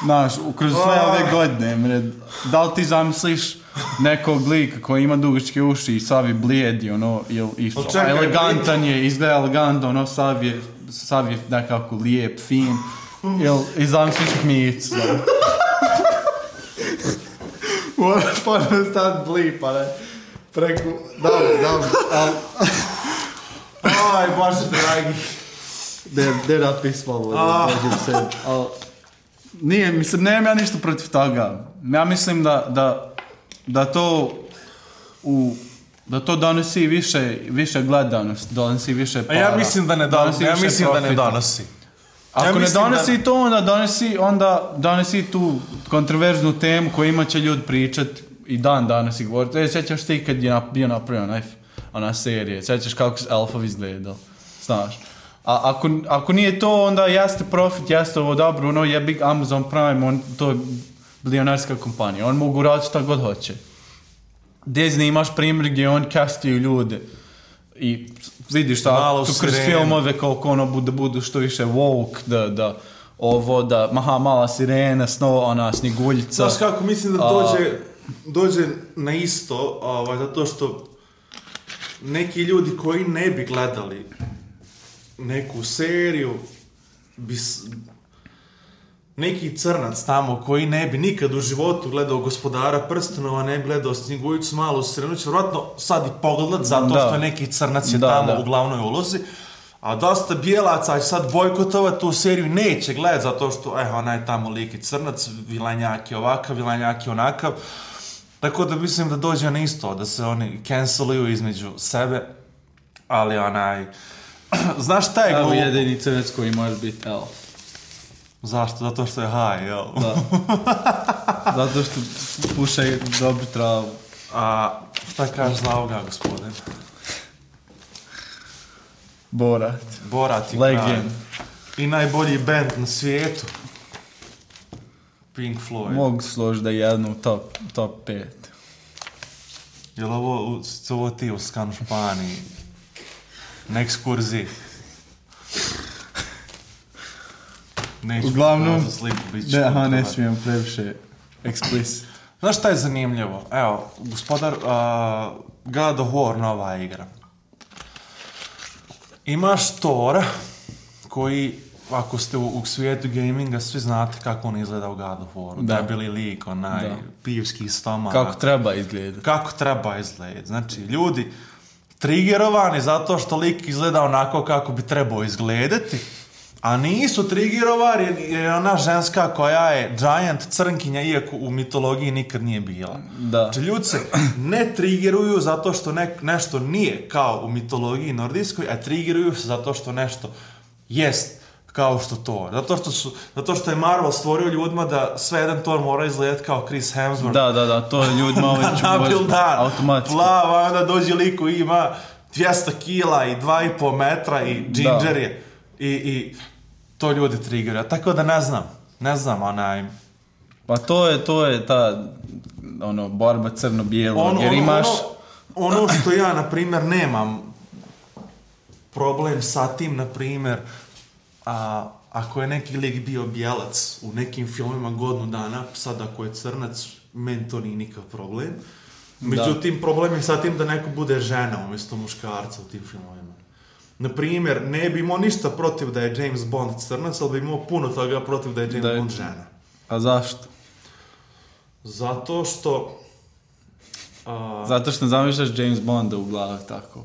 znaš, kroz sve ove godine, da li ti zamisliš nekog lika koji ima dugačke uši i sav je blijedi, elegantan je, izgleda elegantno, sav je nekako lijep, fin, i zamisliš kmicu, moraš ponovno staviti blip, ali preko, dobro, Aj, Bože dragi. Der napismalo dođem se. Nije, mislim, nemam ja ništa protiv toga. Ja mislim da to donosi više gledanost, donosi više para. Ja mislim da ne donosi. Ako ne donosi to, onda donosi tu kontroverznu temu koju ima će ljudi pričat i dan danas i govoriti. Sjećaš ti kad je bio napravio ona serija, sjećaš kako se Elfovi izgledali, znaš. A ako nije to, onda jeste profit, jeste ovo dobro, ono je Big Amazon Prime, to je bilionarska kompanija, on mogu raditi šta god hoće. Disney imaš primjer gdje on castuju ljude i vidiš šta, tu kroz filmove koliko ono budu što više woke, da mala sirena, ona sniguljica. Znaš kako, mislim da dođe na isto, zato što neki ljudi koji ne bi gledali neku seriju, neki crnac tamo koji ne bi nikad u životu gledao Gospodara prstenova, ne bi gledao Sniguljicu malu sirenu, će vjerojatno sad i pogledat zato što je neki crnac je tamo u glavnoj ulozi, a dosta bijelaca će sad bojkotovati tu seriju i neće gledati zato što ona je tamo lik i crnac, vilanjak je ovakav, vilanjak je onakav. Tako da mislim da dođe na isto, da se oni canceluju između sebe, ali znaš šta je glupo? Evo jedini crnac koji može biti elf. Zašto? Zato što je high, jel? Da. Zato što pušaju dobru travu. A šta kažeš za ovoga, gospodin? Borat i Legend. I najbolji band na svijetu. Pink Floyd. Mogu složiti da je jedno u top 5. Jel ovo ti u Skanu Španiji? Na ekskurziji? Uglavnom, ne smijem previše explicit. Znaš šta je zanimljivo? Evo, gospodar God of War, nova igra. Imaš Thora, koji, ako ste u svijetu gaminga, svi znate kako on izgleda u God of Waru. Debeli lik, pivski stomak. Kako treba izgledati. Znači, ljudi triggerovani zato što lik izgleda onako kako bi trebao izgledati, a nisu triggerovani jer je ona ženska koja je giant crnkinja, iako u mitologiji nikad nije bila. Znači, ljudi se ne triggeruju zato što nešto nije kao u mitologiji nordijskoj, a triggeruju se zato što nešto jest kao što to. Zato što je Marvel stvorio ljudima da sve jedan Thor mora izgledati kao Chris Hemsworth. Da, to je ljudima automatski. Plava, onda dođe lik koji ima 200 kila i 2,5 metra i ginger je. I to ljudi triggeraju. Tako da ne znam Pa to je ta borba crno-bijelo. Jer imaš... Ono što ja, na primjer, nemam problem sa tim, na primjer, ako je neki lik bio bijelac u nekim filmima godinu dana, sad ako je crnac, meni to nije nikakav problem. Međutim, problem je sa tim da neko bude žena umjesto muškarca u tim filmovima. Na primjer, ne bi imao ništa protiv da je James Bond crnac, ali bi imao puno toga protiv da je James Bond žena. A zašto? Zato što... Zato što zamišljaš James Bonda u glavi tako.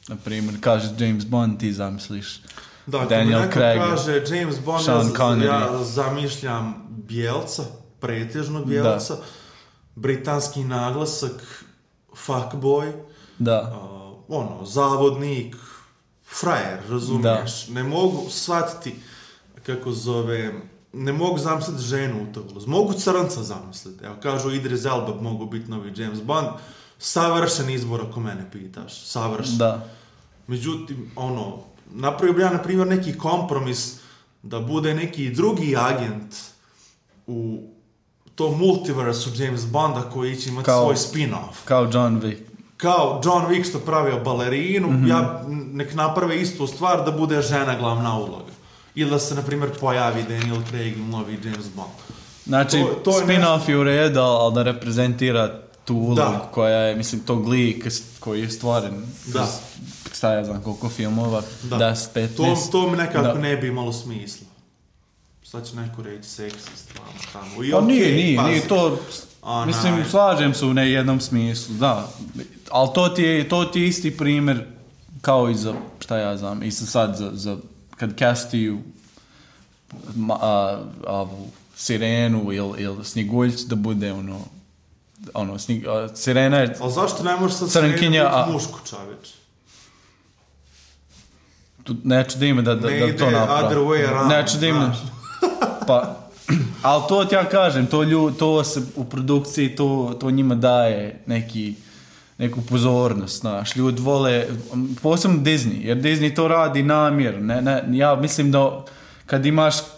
Na primjer, kažeš James Bond, ti zamisliš Daniel Craig, kaže James Bond, ja zamišljam bijelca, pretežno bijelca, britanski naglasak, fuckboy, zavodnik, frajer, razumiješ? Ne mogu shvatiti ne mogu zamisliti ženu u to ulozi. Mogu crnca zamisliti. Evo, kažu Idris Elba mogu biti novi James Bond. Savršen izbor ako mene pitaš. Savršen. Međutim, napravio bi ja, na primjer, neki kompromis da bude neki drugi agent u tom multiversu James Bonda koji će imati svoj spin-off. Kao John Wick. Kao John Wick što pravio balerinu, ja nek naprave istu stvar da bude žena glavna uloga. Ili da se, na primjer, pojavi Daniel Craig i novi James Bond. Znači, spin-off je u redu, ali da reprezentira tu ulogu koja je, mislim, tog lika koji je stvoren. Šta ja znam, koliko filmova, 10-15. To mi nekako ne bi imalo smisla. Sad će neko reći seksist tamo. Pa nije to, mislim, slažem se u jednom smislu, ali to ti je isti primjer kao i za, šta ja znam, i sad za kad castuju Sirenu ili Snjeguljicu da bude Sirena je Ali zašto ne možeš sad crnkinja, Sirenu mušku, čaveč? Neću da ime da to napravi. Other way around. Neću da ime. Pa, ali to ti ja kažem, to se u produkciji, to njima daje neku pozornost, znaš. Ljudi vole, posebno Disney, jer Disney to radi namjerno. Ja mislim da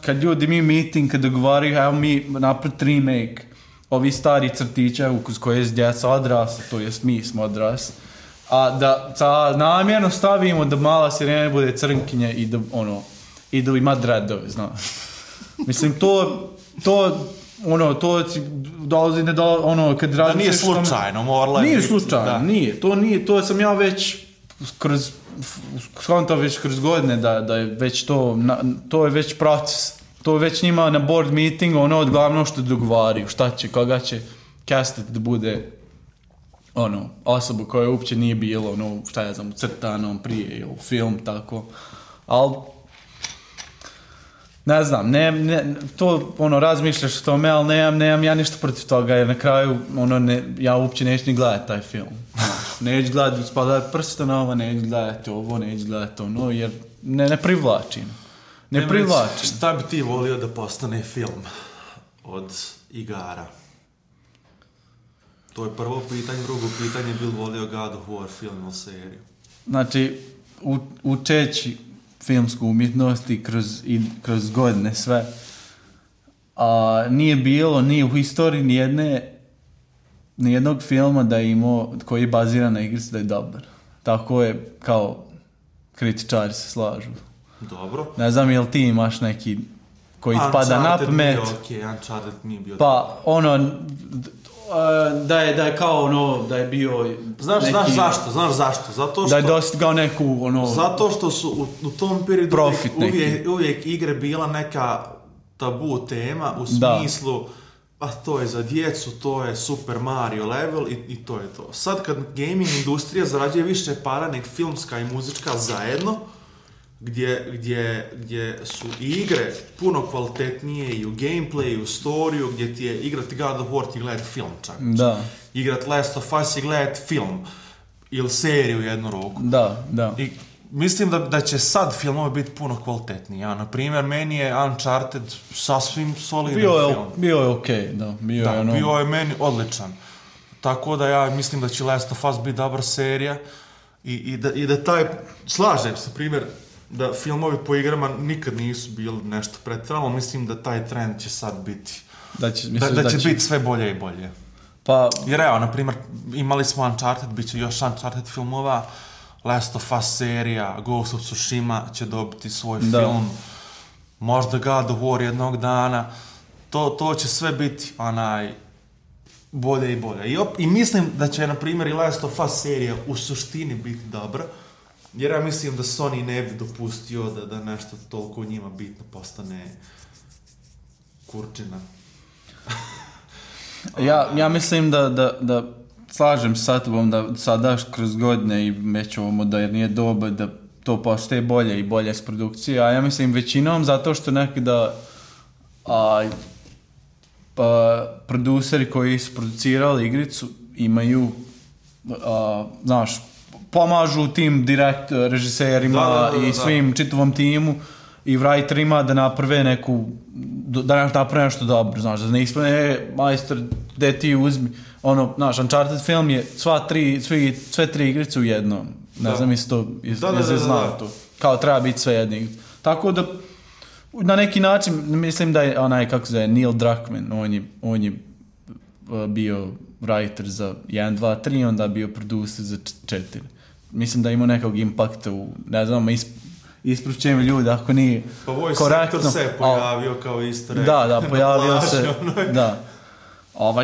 kad ljudi mi meeting, kad dogovaraju, evo mi napraviti remake ovi stari crtića uz koje je djeca odrasla, to jest mi smo odrasli, a da namjerno stavimo da mala Sirena bude crnkinja i da ima dreadove, znaš. Mislim, to dolazi kad da nije slučajno, morala je nije biti. Slučajno, nije, to sam ja već kroz godine da je već to je već proces. To je već njima na board meeting, od glavno što dogovaraju, koga će castati da bude osoba koja uopće nije bilo, crtanom prije ili film, tako. Ali ne znam, to razmišljaš o tome, ali nemam ja ništa protiv toga, jer na kraju ja uopće neću ni gledati taj film. Neću gledati Spada prstenova, neću gledati ovo, neću gledati ono, jer ne privlačim. Ne privlačim. Šta bi ti volio da postane film od igara? To je prvo pitanje, drugo pitanje, bil volio God of War film ili seriju? Znači, učeći filmsku umjetnost i kroz godine sve, nije bilo ni u historiji nijednog filma da je imao, koji je baziran na igrici da je dobar. Tako je, kao kritičari se slažu. Dobro. Ne znam, jel ti imaš neki koji ti pada na pamet? Uncharted nije bio pa, da je kao da je bio Znaš zašto? Zato što da je dostigao neku zato što su u tom periodu uvijek igre bila neka tabu tema u smislu to je za djecu, to je Super Mario level i to je to. Sad kad gaming industrija zarađuje više para nek filmska i muzička zajedno, gdje su igre puno kvalitetnije i u gameplayu, i u storiju, gdje ti je igrati God of War ti gledati film čak. Da. Igrat Last of Us i gledati film ili seriju jednu ruku. Da. I mislim da će sad filmovi biti puno kvalitetniji. Na primjer, meni je Uncharted sasvim solidan film. Bio je okej, da. Bio je meni odličan. Tako da ja mislim da će Last of Us biti dobra serija i da taj, slažem se, primjer, da filmovi po igrama nikad nisu bili nešto pretjerano, mislim da taj trend će sad biti. Da će biti sve bolje i bolje. Pa, jer evo, na primjer, imali smo Uncharted, bit će još Uncharted filmova, Last of Us serija, Ghost of Tsushima će dobiti svoj film, možda God of War jednog dana, to će sve biti bolje i bolje. I mislim da će, na primjer, i Last of Us serija u suštini biti dobra, jer ja mislim da Sony ne bi dopustio da nešto toliko njima bitno postane kurčina. Ja mislim da slažem sa tobom da sada kroz godine i već ovo modernije doba da to postaje bolje i bolje s produkcije, a ja mislim većinom zato što nekada produceri koji su producirali igricu imaju, pomažu tim režiserima i svim čitavom timu i writerima da naprave naprave nešto dobro, da ne ispane, majstor, gde ti uzmi, Uncharted film je sve tri igrice u jednom, ne znam isto, znao to, kao treba biti sve jedne. Tako da, na neki način, mislim da je Neil Druckmann, on je bio writer za 1, 2, 3, onda bio producer za 4. Mislim da ima nekog impakta ne znam, ispravčujem ljudi ako nije korektno. Pa Voice Actor se pojavio kao isto. Da, pojavio se. Da.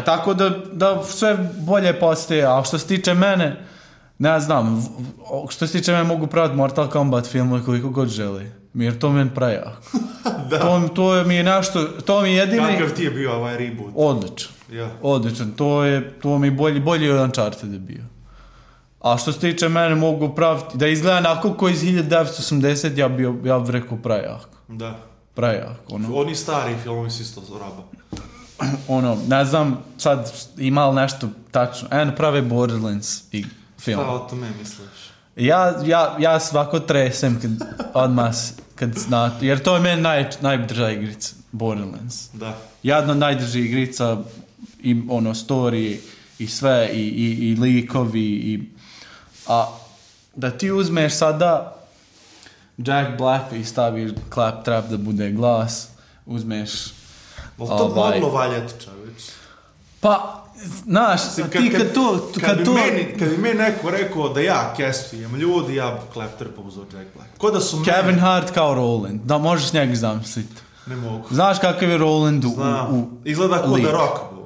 Tako da sve bolje postaje, a što se tiče mene, ne znam, što se tiče mene mogu praviti Mortal Kombat filmove koliko god želi. Jer to mi je prejak. To mi je nešto, to mi je jedini... Kakav ti je bio ovaj reboot? Odličan. To mi je bolji od Uncharted je bio. A što se tiče mene mogu praviti, da izgleda onako ko iz 1980, ja bi rekao prejak. Da. Prejak, ono. Oni stari filmovi su isto raba. Ono, ne znam, sad ima li nešto tačno. Prave Borderlands i film. Šta o tome misliš? Ja svako tresem kad znate, jer to je meni najdrža igrica, Borderlands. Da. Jedna najdrža igrica, i ono, story i sve, i likovi, a da ti uzmeš sada Jack Black i staviš Claptrap da bude glas, uzmeš... To moglo valjati, čovječ. Pa, znaš, ti kad bi meni neko rekao da ja castujem ljudi, ja bi Claptrapa uzeo Jack Black. Ko da su Kevin Hart kao Roland, da možeš njega zamisliti. Ne mogu. Znaš kakav je Roland u izgleda kao da Rock Bog.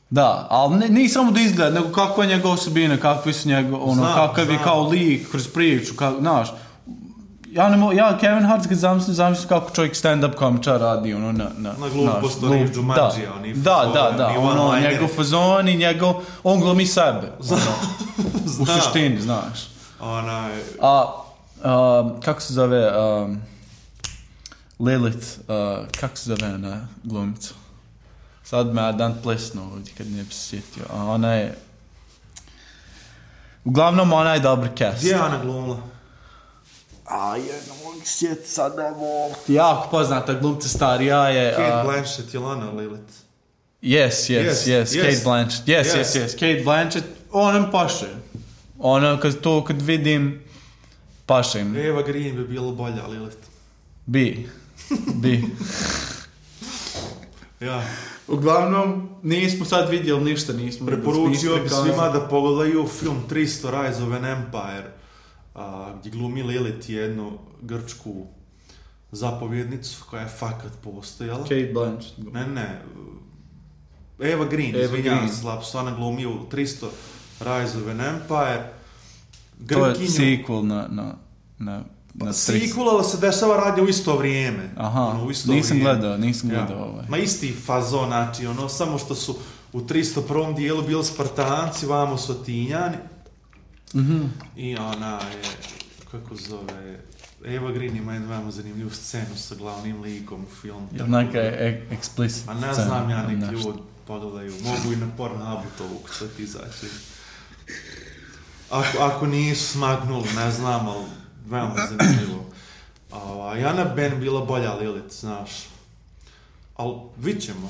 Da, ali ne samo da izgleda, nego kakva je njegova osobina, kakvi su kakav je kao lik kroz priču, znaš. Ja Kevin Hart kad zamislim kako čovjek stand-up komičar radi, ono, na glupost, ono, Jumanjija, oni da, ono, njegov fazon i on glumi sebe, u suštini, znaš. Kako se zove, Lilith, kako se zove ona glumica? Sad me dan plesno ovdje kad ne bi se sjetio, a ona je, uglavnom ona je dobar cast. Gdje je ona glumila? Ne mogu sjeti sad ne mogu. Jako poznata glumca starija je... Kate Blanchett, je Lana Lilith? Yes, Kate Blanchett. Yes, Kate Blanchett, ona mi paše. Ona, kad vidim, paše im. Eva Green bi bila bolja Lilith. Bi. Ja. Uglavnom, nismo sad vidjeli ništa, nismo... Preporučio bi svima da pogledaju film 300 Rise of an Empire, gdje glumi Lilith jednu grčku zapovjednicu koja je fakat postojala. Kate Blanchett. Ne. Eva Green, izvinjam se, lapsu, ona glumi u 300 Rise of an Empire. To je sequel na sequel, ali se dešava radi u isto vrijeme. Aha, nisam gledao ovaj. Ma isti fazon, znači, ono, samo što su u 301. dijelu bili Spartanci, vamo su Atinjani. Mm-hmm. I ona je, kako zove, Eva Green ima jednu veoma zanimljivu scenu sa glavnim likom u filmu. Je neka explicit scena? A ne znam ja, neki ljudi pogledaju, mogu i na Pornhubu to ukucati izaći. Ako nisu smagnuli, ne znam, ali veoma zanimljivo. Jana Ben bila bolja Lilith, znaš. Ali vidit ćemo.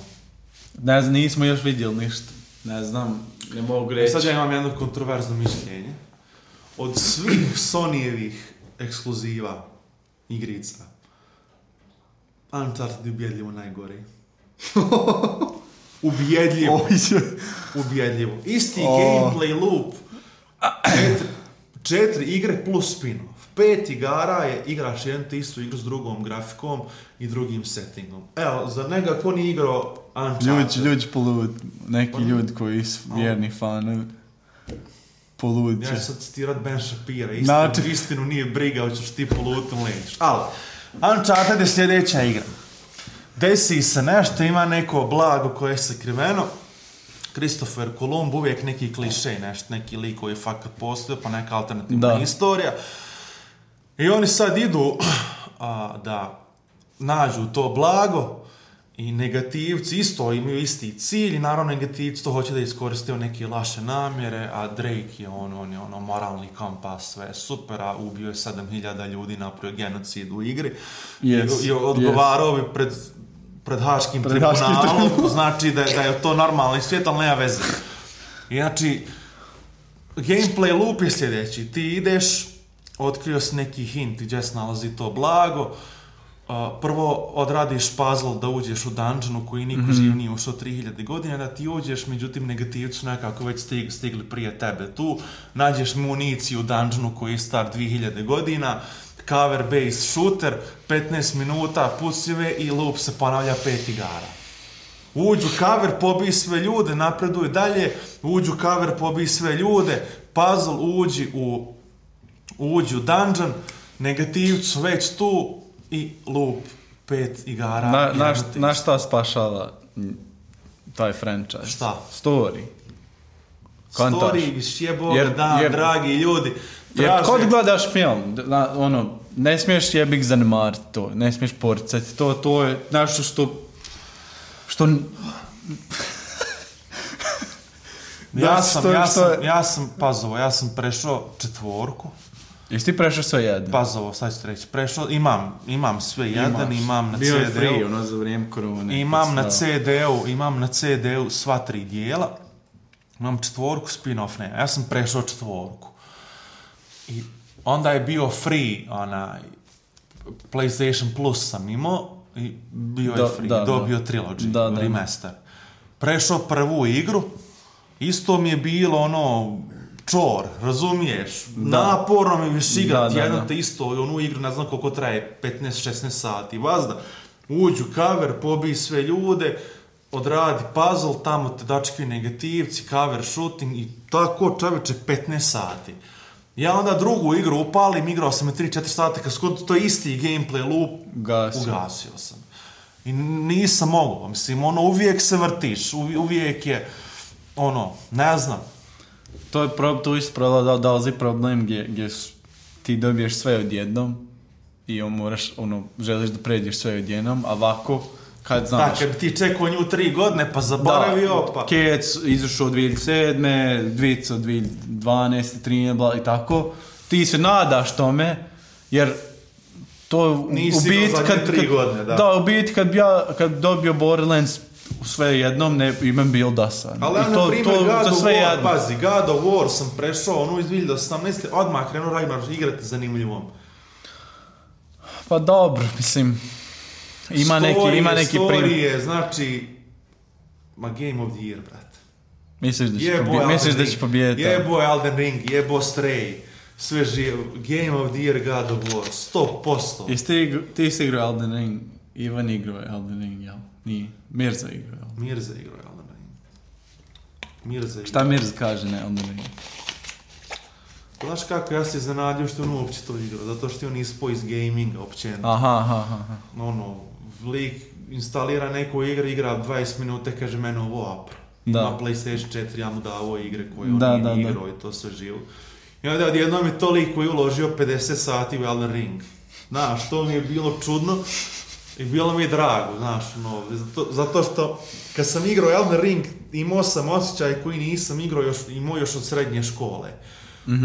Ne znam, nismo još vidjeli ništa. Ne znam, ne mogu reći. Sad ja imam jedno kontroverzno mišljenje. Od svih Sonyjevih ekskluziva igrica, Uncharted je ubjedljivo najgori. Ubjedljivo. Isti gameplay loop. 4 igre plus spin-off. 5 igara je igraš jednu te istu igru s drugom grafikom i drugim settingom. Evo, za njega ko nije igrao Uncharted? Ljudi polud, neki ljudi koji su vjerni fanovi. Polud će. Ja ću sad citirat Ben Shapira, istinu nije briga, hoćeš ti polutom leđeš. Ali, Uncharted je sljedeća igra. Desi se nešto, ima neko blago koje je sakriveno. Christopher Columb, uvijek neki klišej, neki lik koji je fakat postoje, pa neka alternativna historija. I oni sad idu da nađu to blago i negativci isto imaju isti cilj i naravno negativci to hoće da iskoriste neke laše namjere, a Drake je on je moralni kompas, sve super, a ubio je 7000 ljudi, napravio genocid u igri i odgovarao bi pred Haškim tribunalom, znači da je to normalni svijet, ali nema veze. I znači, gameplay loop je sljedeći, ti ideš, otkrio si neki hint gdje se nalazi to blago, prvo odradiš puzzle da uđeš u dungeonu koji niko živ nije ušao 3000 godina, da ti uđeš, međutim negativci su nekako već stigli prije tebe tu, nađeš municiju u dungeonu koji je star 2000 godina, cover based shooter, 15 minuta, pucive i loop se ponavlja 5 igara. Uđu cover, pobij sve ljude, napreduj dalje, uđu cover, pobij sve ljude, puzzle, uđu u dungeon, negativci su već tu i loop 5 igara. Na šta spašava taj franchise? Šta? Story. Kontaš. Story, sjeboga, Jer- dragi ljudi. Jer traže- kod gledaš film, ne smiješ jebik zanemariti to, ne smiješ poricati, to je nešto što Ja sam prešao 4. Jesi ti prešao sve jedan? Pazovo, sad ću ti reći. Prešao, imam sve jedan, imam na Bio je CD-u. free, za vrijeme korone. Imam na CD-u sva 3 dijela. Imam 4, spin-off ne. Ja sam prešao 4. I onda je bio free, PlayStation Plus sam imao i bio je free. Dobio Trilogy, remaster. Prešao prvu igru, isto mi je bilo čor, razumiješ? Naporno mi više igrati jedno te isto, onu igru ne znam koliko traje, 15-16 sati. Vazda, uđu cover, pobij sve ljude, odradi puzzle, tamo te dačkaju negativci, cover shooting i tako čoveče 15 sati. Ja onda drugu igru upalim, igrao sam je 3-4 sata, kad skoro to isti gameplay loop, ugasio sam. I nisam mogao, mislim, uvijek se vrtiš, uvijek je, ne znam. To isto dolazi problem gdje ti dobiješ sve odjednom i moraš, želiš da pređeš sve odjednom, a ovako, kad znaš... Kad bi ti čekao nju 3 godine, pa zaboravio, pa... Kec izašao 2007, Dvica 2012, 2013, i tako, ti se nadaš tome, jer to nisi imao zadnje 3 godine, da. Da, u biti kad dobio Borderlands sve jednom, imam bil dosan. Ali ja, na primjer, God of War sam prešao, iz 2018. odmah krenuo Ragnar igrati zanimljivom. Pa dobro, mislim, ima neki Story je, znači, Game of the Year, brate. Misliš da će pobijediti? Jebo je Elden Ring, jebo Stray, sve živo, Game of the Year, God of War, 100%. Ti si igrao Elden Ring, Ivan igrao Elden Ring, jel? Nije, Mirza igrao. Mirza igrao Elden Ring. Šta Mirza kaže na Elden Ring? Znaš kako, ja se zanadio što on uopće to igrao, zato što on ispao iz gaminga općenito. Aha. Lik instalira neku igru, igra 20 minuta, kaže mene ovo apro. Ima PlayStation 4, ja mu davo igre koje on nije igrao i to sve živo. I onda odjednom je toliko i uložio 50 sati u Elden Ring. Znaš, to mi je bilo čudno i bilo mi je drago, znaš, zato što kad sam igrao Elden Ring imao sam osjećaj koji nisam imao još od srednje škole.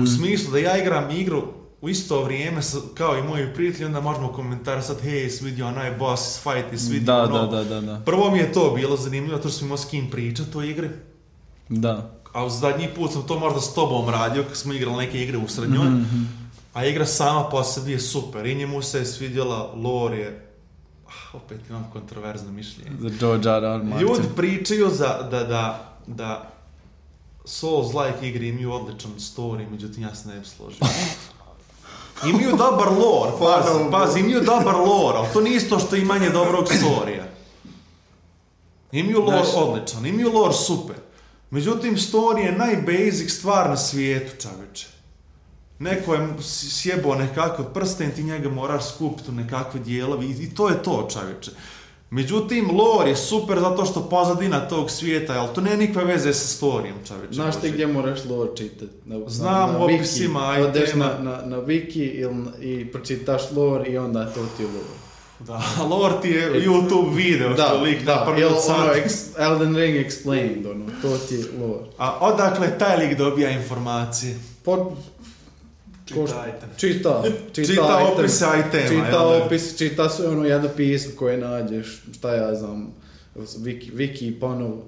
U smislu da ja igram igru u isto vrijeme kao i moji prijatelji, onda možemo komentarisati, hej, svidio onaj boss fight i svidio Da. Prvo mi je to bilo zanimljivo, to što sam imao s kim pričati o igri. Da. A zadnji put sam to možda s tobom radio, kad smo igrali neke igre u srednjoj. A igra sama po sebi je super. I njemu se je svidjela, lore je... opet imam kontroverzno mišljenje. Za George R.R. Martin. Ljudi pričaju da Souls-like igre imaju odličan story, međutim ja se ne bi složio. Imaju dobar lore, pazi, imaju dobar lore, ali to nije isto što imanje dobrog storija. Imaju lore odličan, imaju lore super. Međutim, story je najbasic stvar na svijetu, čaveče. Neko je sjebao nekakav prsten, ti njega moraš skupiti u nekakve dijelovi i to je to, čaveče. Međutim, lore je super zato što pozadina tog svijeta, ali to nema nikakve veze sa storijom, čaveče. Znaš ti gdje moraš lore čitati? Znam u opisima. Odeš na wiki i pročitaš lore i onda to ti je lore. Da, lore ti je YouTube video što lik napravi od sad. Elden Ring explained, to ti je lore. A odakle taj lik dobija informacije? Čita opise itema. Čita opis, čita sve jedno pismo koje nađeš, šta ja znam, wiki ponovo.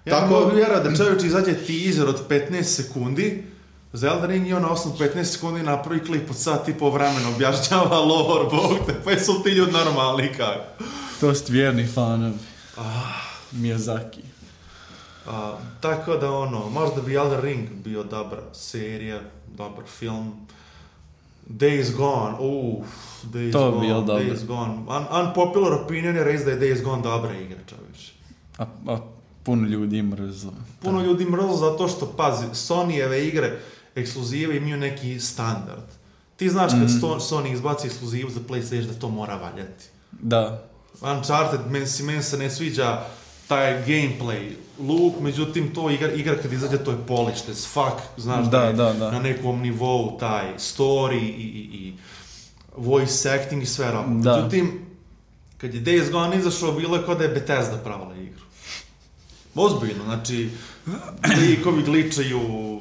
Ja mogu vjerati da čovječ izađe teaser od 15 sekundi, za Elden Ring i on na osnovu 15 sekundi napravi klip od sat i po vremena, objašnjava lore, bog te, pa su ti ljudi normalni kako. To su vjerni fanovi. Miyazaki. Tako da možda bi Elden Ring bio dobra serija, dobar film. Days Gone, Days Gone. Unpopular opinion je reći da je Days Gone dobra igra, čovječ. A puno ljudi mrzlo. Puno ljudi mrzlo zato što, pazi, Sonyjeve igre, ekskluzive imaju neki standard. Ti znaš kad Sony izbaci ekskluzivu za PlayStation da to mora valjati. Da. Uncharted, meni se ne sviđa taj gameplay loop, međutim to igra kad izađe to je polished as fuck, znaš Da. na nekom nivou taj story i voice acting i sve ramo. Da. Međutim, kad je Days Gone izašao, bilo je kao da je Bethesda pravila igru. Ozbiljno, znači, likovi gličaju,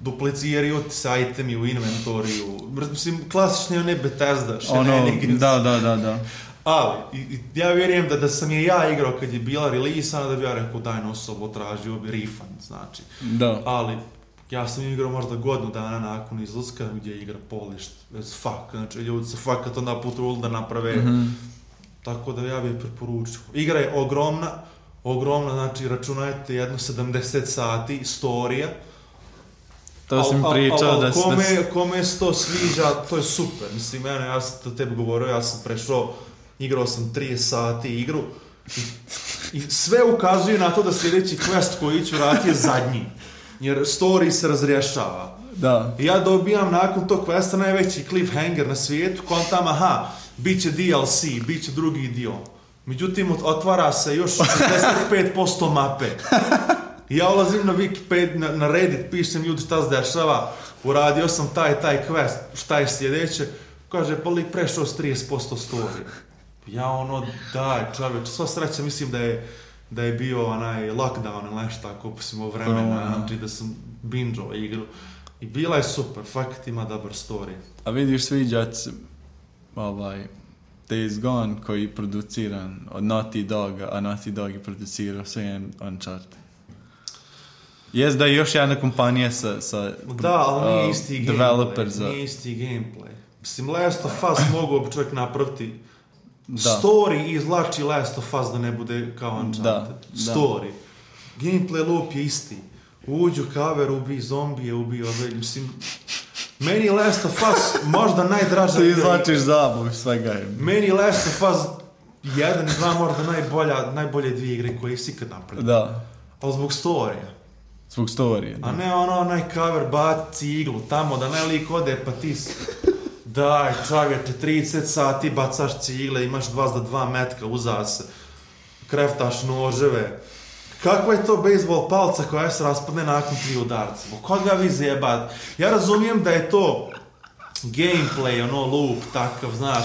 dupliciraju se itemi u inventoriju, mislim, klasični ne Bethesda, shenanigans. Da. Ali, ja vjerujem da sam je ja igrao kad je bila release, da bi ja rekao daj na osobu, tražio bi refund, znači. Da. Ali, ja sam igrao možda godinu dana nakon izlaska gdje je igra polished as fuck, znači ljudi se fakat onda potrudili da naprave, tako da ja bih preporučio. Igra je ogromna, znači računajte jedno 70 sati, storija. To sam pričao da kome se to sviđa, to je super. Mislim, ja sam to tebi govorio, ja sam igrao sam 30 sati igru i sve ukazuje na to da sljedeći quest koji ću raditi je zadnji. Jer story se razrješava. Da. I ja dobijam nakon tog questa najveći cliffhanger na svijetu, kontam, bit će DLC, bit će drugi dio. Međutim, otvara se još 65% mape. I ja ulazim na Wikipedia, na Reddit, pišem ljudi šta se dešava, uradio sam taj quest, šta je sljedeće, kaže, pa lik prešao s 30% story. Ja daj čovječ, sva sreća, mislim da je bio onaj lockdown ili nešto tako, posimo vremena, znači da sam binge'o igru. I bila je super, fakat ima dobar story. A vidiš, sviđat se Days Gone koji je produciran od Naughty Doga, a Naughty Dog je producirao sve Uncharted. Jest da je još jedna kompanija sa da, ali nije isti developer nije isti gameplay. Mislim, Last of Us mogu bi čovjek napraviti story i izlači Last of Us da ne bude kao Uncharted. Story. Gameplay loop je isti. Uđu kaver, ubij zombije, ubij ove, mislim... Meni Last of Us možda najdraža... Ti izlačiš zabav svega je. Meni Last of Us 1 i 2 možda najbolje dvije igre koje si ikad napravio. Da. Ali zbog storija. Zbog storija, da. A ne onaj cover baci iglu tamo da ne lik ode pa ti... Daj, čovječe, 30 sati bacaš cigle, imaš 2 metka uza se, kreftaš noževe. Kakva je to bejsbol palca koja se raspadne nakon 3 udarca? Koga vi zjebate? Ja razumijem da je to gameplay, loop, takav, znaš.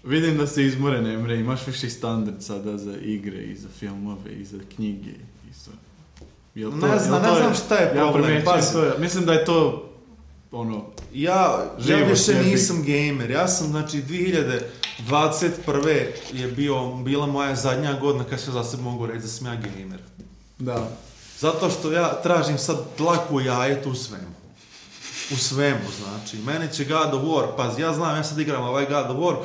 Vidim da si izmoren, Emre, imaš viši standard sada za igre i za filmove i za knjige i za... Ne znam šta je problem. Mislim da je to Ja više nisam gamer, ja sam, znači, 2021. je bila moja zadnja godina kad se za sebe mogu reći da sam ja gamer. Da. Zato što ja tražim sad dlaku jajetu u svemu. U svemu, znači. Mene će God of War, pazi, ja znam, ja sad igram ovaj God of War,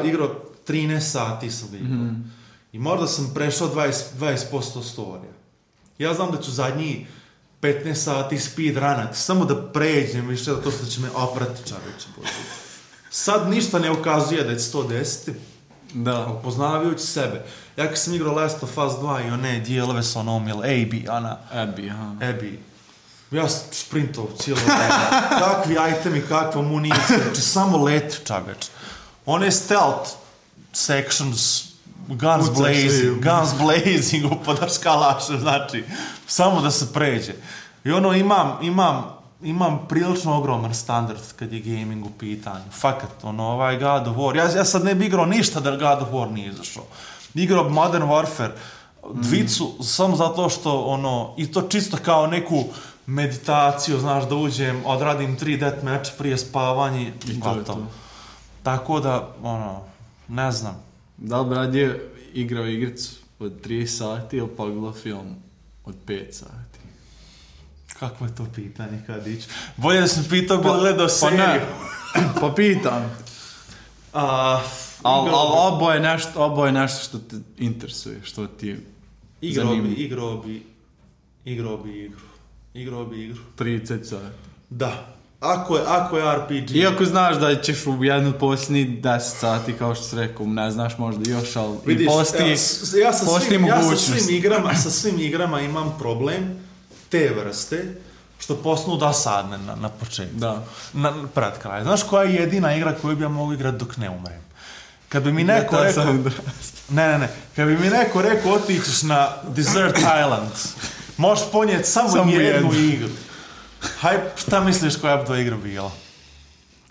igrao 13 sati sam igrao. I možda sam prešao 20% storija. Ja znam da ću zadnji 15 sati speedrunati, samo da pređem više da to što će me oprati čaveće. Sad ništa ne ukazuje da je 110. Da. Upoznavajući sebe. Ja kad sam igrao Last of Us 2 i one dijelove sa onom, Abby. Ja sam sprintao cijelo vreme. Kakvi itemi, kakva municija, znači samo leti čaveč. One stealth sections, guns blazing, upadaš kalašem, znači, samo da se pređe. I imam prilično ogroman standard kad je gaming u pitanju. Fakat, ovaj God of War. Ja sad ne bi igrao ništa da God of War nije izašao. Igrao Modern Warfare, dvicu, samo zato što, i to čisto kao neku meditaciju, znaš, da uđem, odradim 3 deathmatch prije spavanja i gotovo. Tako da, ne znam. Da li Brad je igrao igricu od 3 sati ili pogledao film od 5 sati? Kako je to pitanje kad ići? Bolje da sam pitao bi gledao seriju. Pa pitam. Ali oboje nešto što te interesuje, što ti zanima. Igrao bi igru. 30 sati. Da. Ako je RPG... Iako znaš da ćeš u jednu posljednji 10 sati, kao što si rekao, ne znaš možda još, ali vidiš, postoji mogućnost. Sa svim igrama imam problem te vrste, što postanu dosadne na početku. Da. Pred kraj. Znaš koja je jedina igra koju bi ja mogu igrati dok ne umrem? Kad bi mi neko rekao... Ne. Kad bi mi neko rekao otićeš na Desert Island, možeš ponijeti samo jednu igru. Hajde, šta misliš koja bi to igra bila?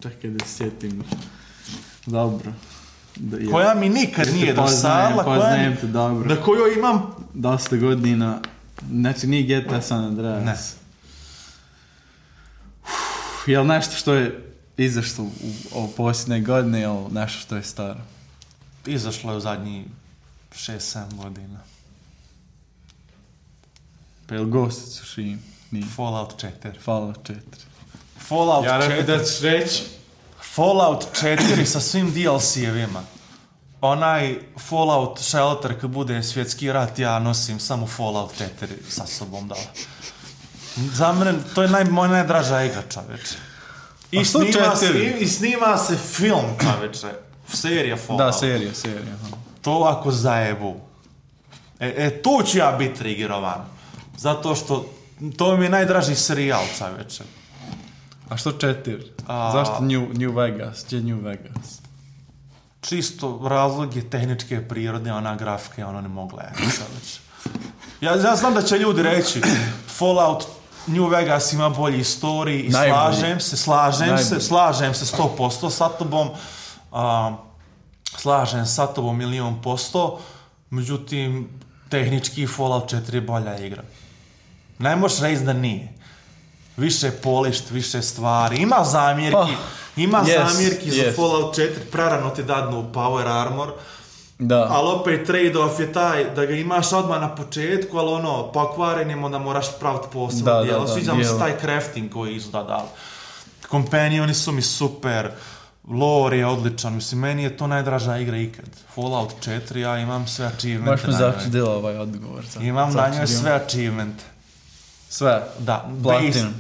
Čekaj da se sjetim. Dobro. Koja mi nikad nije dosadla, poznajem te dobro. Na kojoj imam... Dosta godina. Znači nije GTA San Andreas. Ne. Jel nešto što je izašlo u posljednje godine ili nešto što je staro? Izašlo je u zadnjih 6-7 godina. Pa jel Ghost of Tsushima? Nije. Fallout 4. Fallout 4. Fallout 4. Ja rekao da ćeš reći. Fallout 4 sa svim DLC-evima. Onaj Fallout Shelter kad bude svjetski rat, ja nosim samo Fallout 4 sa sobom dala. Za mene, to je moja najdraža igra, čoveče. I snima se film, čoveče. Serija Fallout. Da, serija. Aha. To ako zajebu. Tu ću ja biti triggerovan. Zato što to mi je najdraži serijal, čoveče. A što 4? Zašto New Vegas? Gdje New Vegas? Čisto razlog je tehničke prirode, ona grafika, ono ne mogu gledati. Ja znam da će ljudi reći Fallout New Vegas ima bolji istoriji i slažem se 100% sa tobom. Slažem sa tobom 1,000,000%, međutim, tehnički Fallout 4 je bolja igra. Ne možeš reći da nije. Više polišt, više stvari. Ima zamjerki za Fallout 4, prerano ti dadnu Power Armor. Da. Ali opet trade-off je taj da ga imaš odmah na početku, ali ono, pokvarenim, onda moraš praviti posebno dijelo. Sviđa mi se taj crafting koji izgleda dal. Companioni su mi super, lore je odličan, mislim, meni je to najdraža igra ikad. Fallout 4, ja imam sve achievemente. Baš mi začudila ovaj odgovor. Imam na njoj sve achievemente. Sve? Da. Platinum?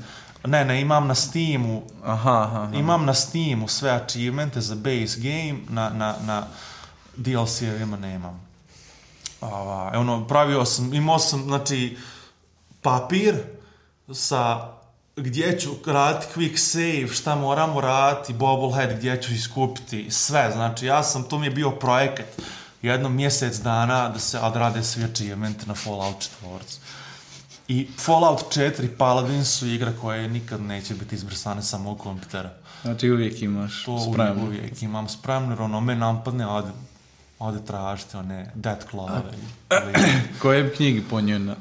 Ne, imam na Steamu. Aha. Imam na Steamu sve achievemente za base game, na DLC-evima nemam. Imao sam, znači, papir sa gdje ću raditi quick save, šta moramo raditi, bobblehead, gdje ću iskupiti, sve. Znači, to mi je bio projekat jedno mjesec dana da se odrade svi achievementi na Fallout 4. I Fallout 4 Paladins su igra koje nikad neće biti izbrisane samo u kompjutera. Znači uvijek imaš spremno. Uvijek imam spremno, jer ono me napadne, ode tražiti one Death Claw. Koje bi knjige ponio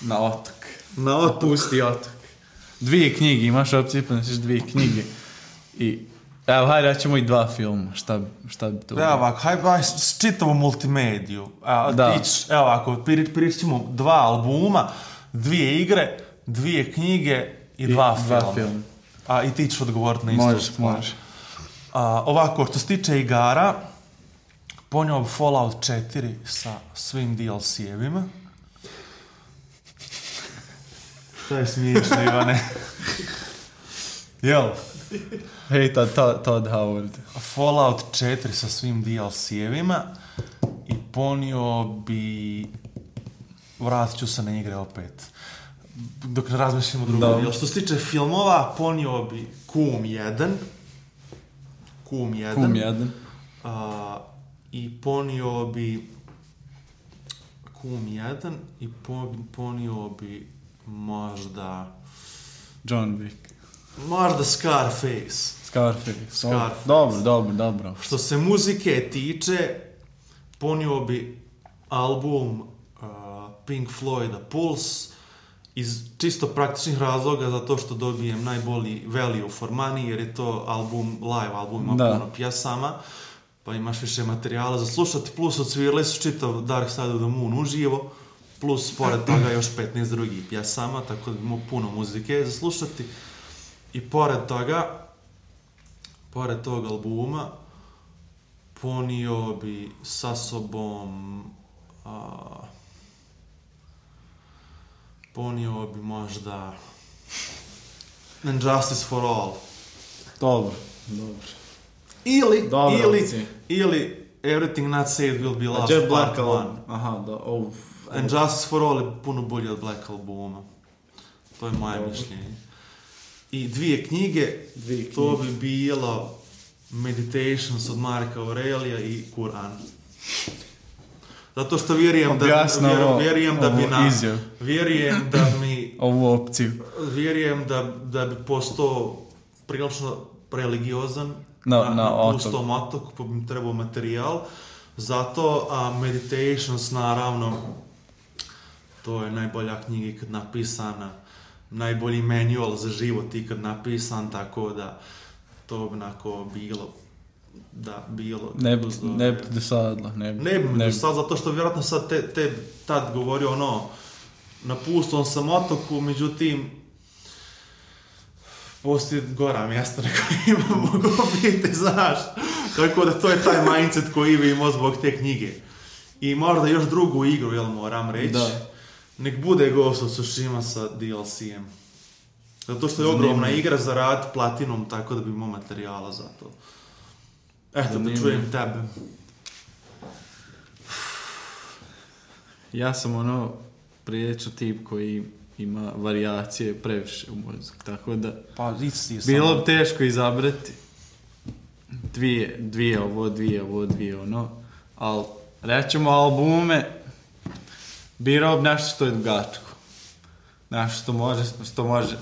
na otok? Na otok? Pusti otok. 2 knjige, imaš opciju pa nosiš 2 knjige. I evo, hajde, ja ćemo i 2 filma. Šta bi to bilo? Evo ovako, hajde čitavu multimediju. Evo ovako, prijeći ćemo 2 albuma, 2 igre, 2 knjige i 2 filma. I ti ćeš odgovoriti na isto. Možeš. Ovako, što se tiče igara, ponio bi Fallout 4 sa svim DLC-evima. Šta je smiješno, Ivane? Jel? Hej, Todd Howard. Fallout 4 sa svim DLC-evima i ponio bi... Vratit ću se na igre opet. Dok ne razmišljamo drugo. Jel, što se tiče filmova, ponio bi Koom 1. I ponio bi Koom 1 i ponio bi možda... John Wick. Možda Scarface. Dobro. Što se muzike tiče, ponio bi album Pink Floyda Pulse iz čisto praktičnih razloga, zato što dobijem najbolji value for money, jer je to live album, ima puno pjesama, pa imaš više materijala za slušati, plus odsvirali su čitav Dark Side of the Moon uživo, plus pored toga još 15 drugih pjesama, tako da imamo puno muzike za slušati. I pored tog albuma, ponio bi sa sobom, ponio bi možda Injustice for All. Dobro. Ili Everything Not Saved Will Be Lost Part 1. Aha, da, Injustice for All je puno bolje od Black albuma. To je moje mišljenje. I 2 knjige, to bi bilo Meditations od Marka Aurelija i Kur'an. Zato što vjerujem da mi ovu opciju. Vjerujem da bi postao prilično religiozan na pustom otoku, pa bi mi trebao materijal. Zato Meditations, naravno, to je najbolja knjiga ikad napisana, najbolji manual za život ikad napisan, tako da to bi onako bilo... Ne bi dosadilo. Ne bi dosadilo, zato što vjerojatno sad tad govorio na pustom sam otoku, međutim, postoji gora mjesta na kojima mogu biti, znaš. Tako da to je taj mindset koji bi imao zbog te knjige. I možda još drugu igru, moram reći. Da. Nek bude Ghost of Tsushima sa DLC-em. Zato što je ogromna igra za rad platinom, tako da bi imao materijala za to. Eto, da čujem tebe. Ja sam prilično tip koji ima varijacije previše u muziku, tako da bilo bi teško izabrati dvije, ali rećemo albume, birao bi nešto što je dugačko. Nešto što može,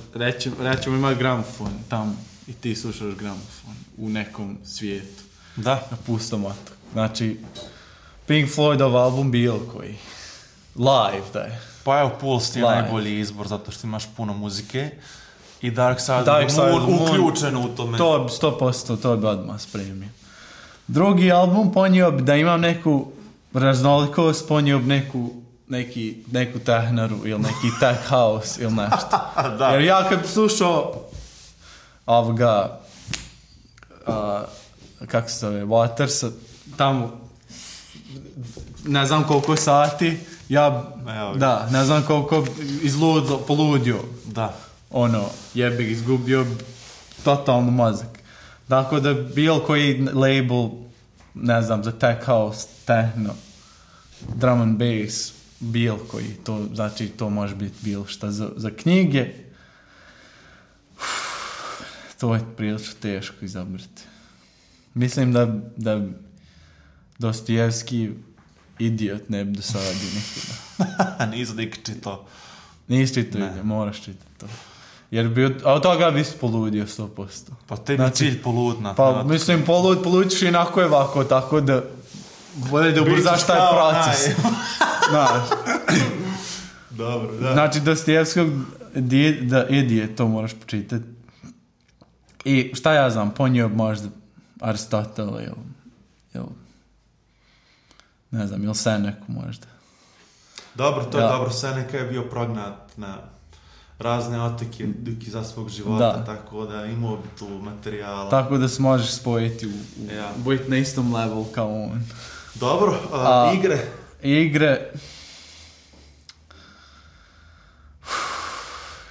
rećemo ima gramofon tamo i ti slušaš gramofon u nekom svijetu. Da. Na pustom otoku. Znači, Pink Floydov album bilo koji. Live, da je. Pa evo, Pulse je najbolji izbor zato što imaš puno muzike i Dark Side of the Moon uključeno u tome. To 100%, to bi odmah spremio. Drugi album ponio bi da imam neku raznolikost, ponio bi neku tehnaru ili neki tech house ili nešto. Jer ja kad slušao ovoga kako se zove, Watersa, tamo ne znam koliko sati, ne znam koliko poludio. Da. Jebik, izgubio totalno mozak. Dakle, da bilo koji label, ne znam, za tech house, techno, drum and bass, bilo koji, to znači to može biti bilo šta. Za knjige, to je prilično teško izabrati. Mislim da Dostojevski idiot ne bi dosadio nikada. Nisi dik čitao. Nisi čitao, moraš čitati to. Jer a od toga bi se poludio 100%. Pa tebi cilj poludna. Pa mislim, poludiš inako je ovako, tako da bolje da ubrzaš taj proces. Znaš. Dobro, da. Znači, Dostojevskog idiot, to moraš počitati. I šta ja znam, ponio možda Aristotel ili ne znam, ili Seneku možda. Dobro, to je dobro. Seneka je bio prognat na razne otoke za svog života, tako da imao bi tu materijala. Tako da se možeš spojiti biti na istom levelu kao on. Dobro, igre? Igre...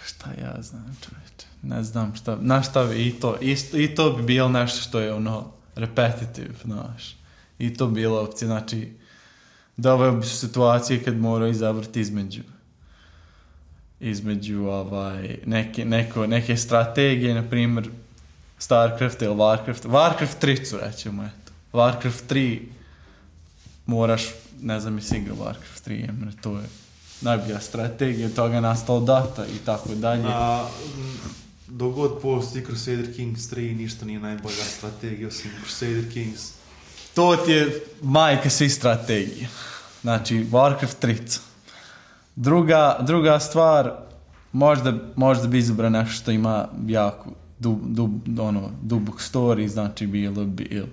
Šta ja znam, čovječe. Ne znam šta bi i to bi bilo nešto što je repetitive, znaš. I to bi bila opcija, znači doveo bi situacije kad morao izabrati između neke strategije, na primjer Starcraft ili Warcraft. Warcraft 3 rećemo, eto. Warcraft 3 moraš, ne znam, jesi igrao Warcraft 3, jer to je najbolja strategija, od toga je nastao Dota i tako dalje. Dok god postoji Crusader Kings 3, ništa nije najbolja strategija osim Crusader Kings. To ti je majka svih strategija. Znači, Warcraft 3. Druga stvar, možda bi izabrao nešto što ima jako dubok story, znači bilo bi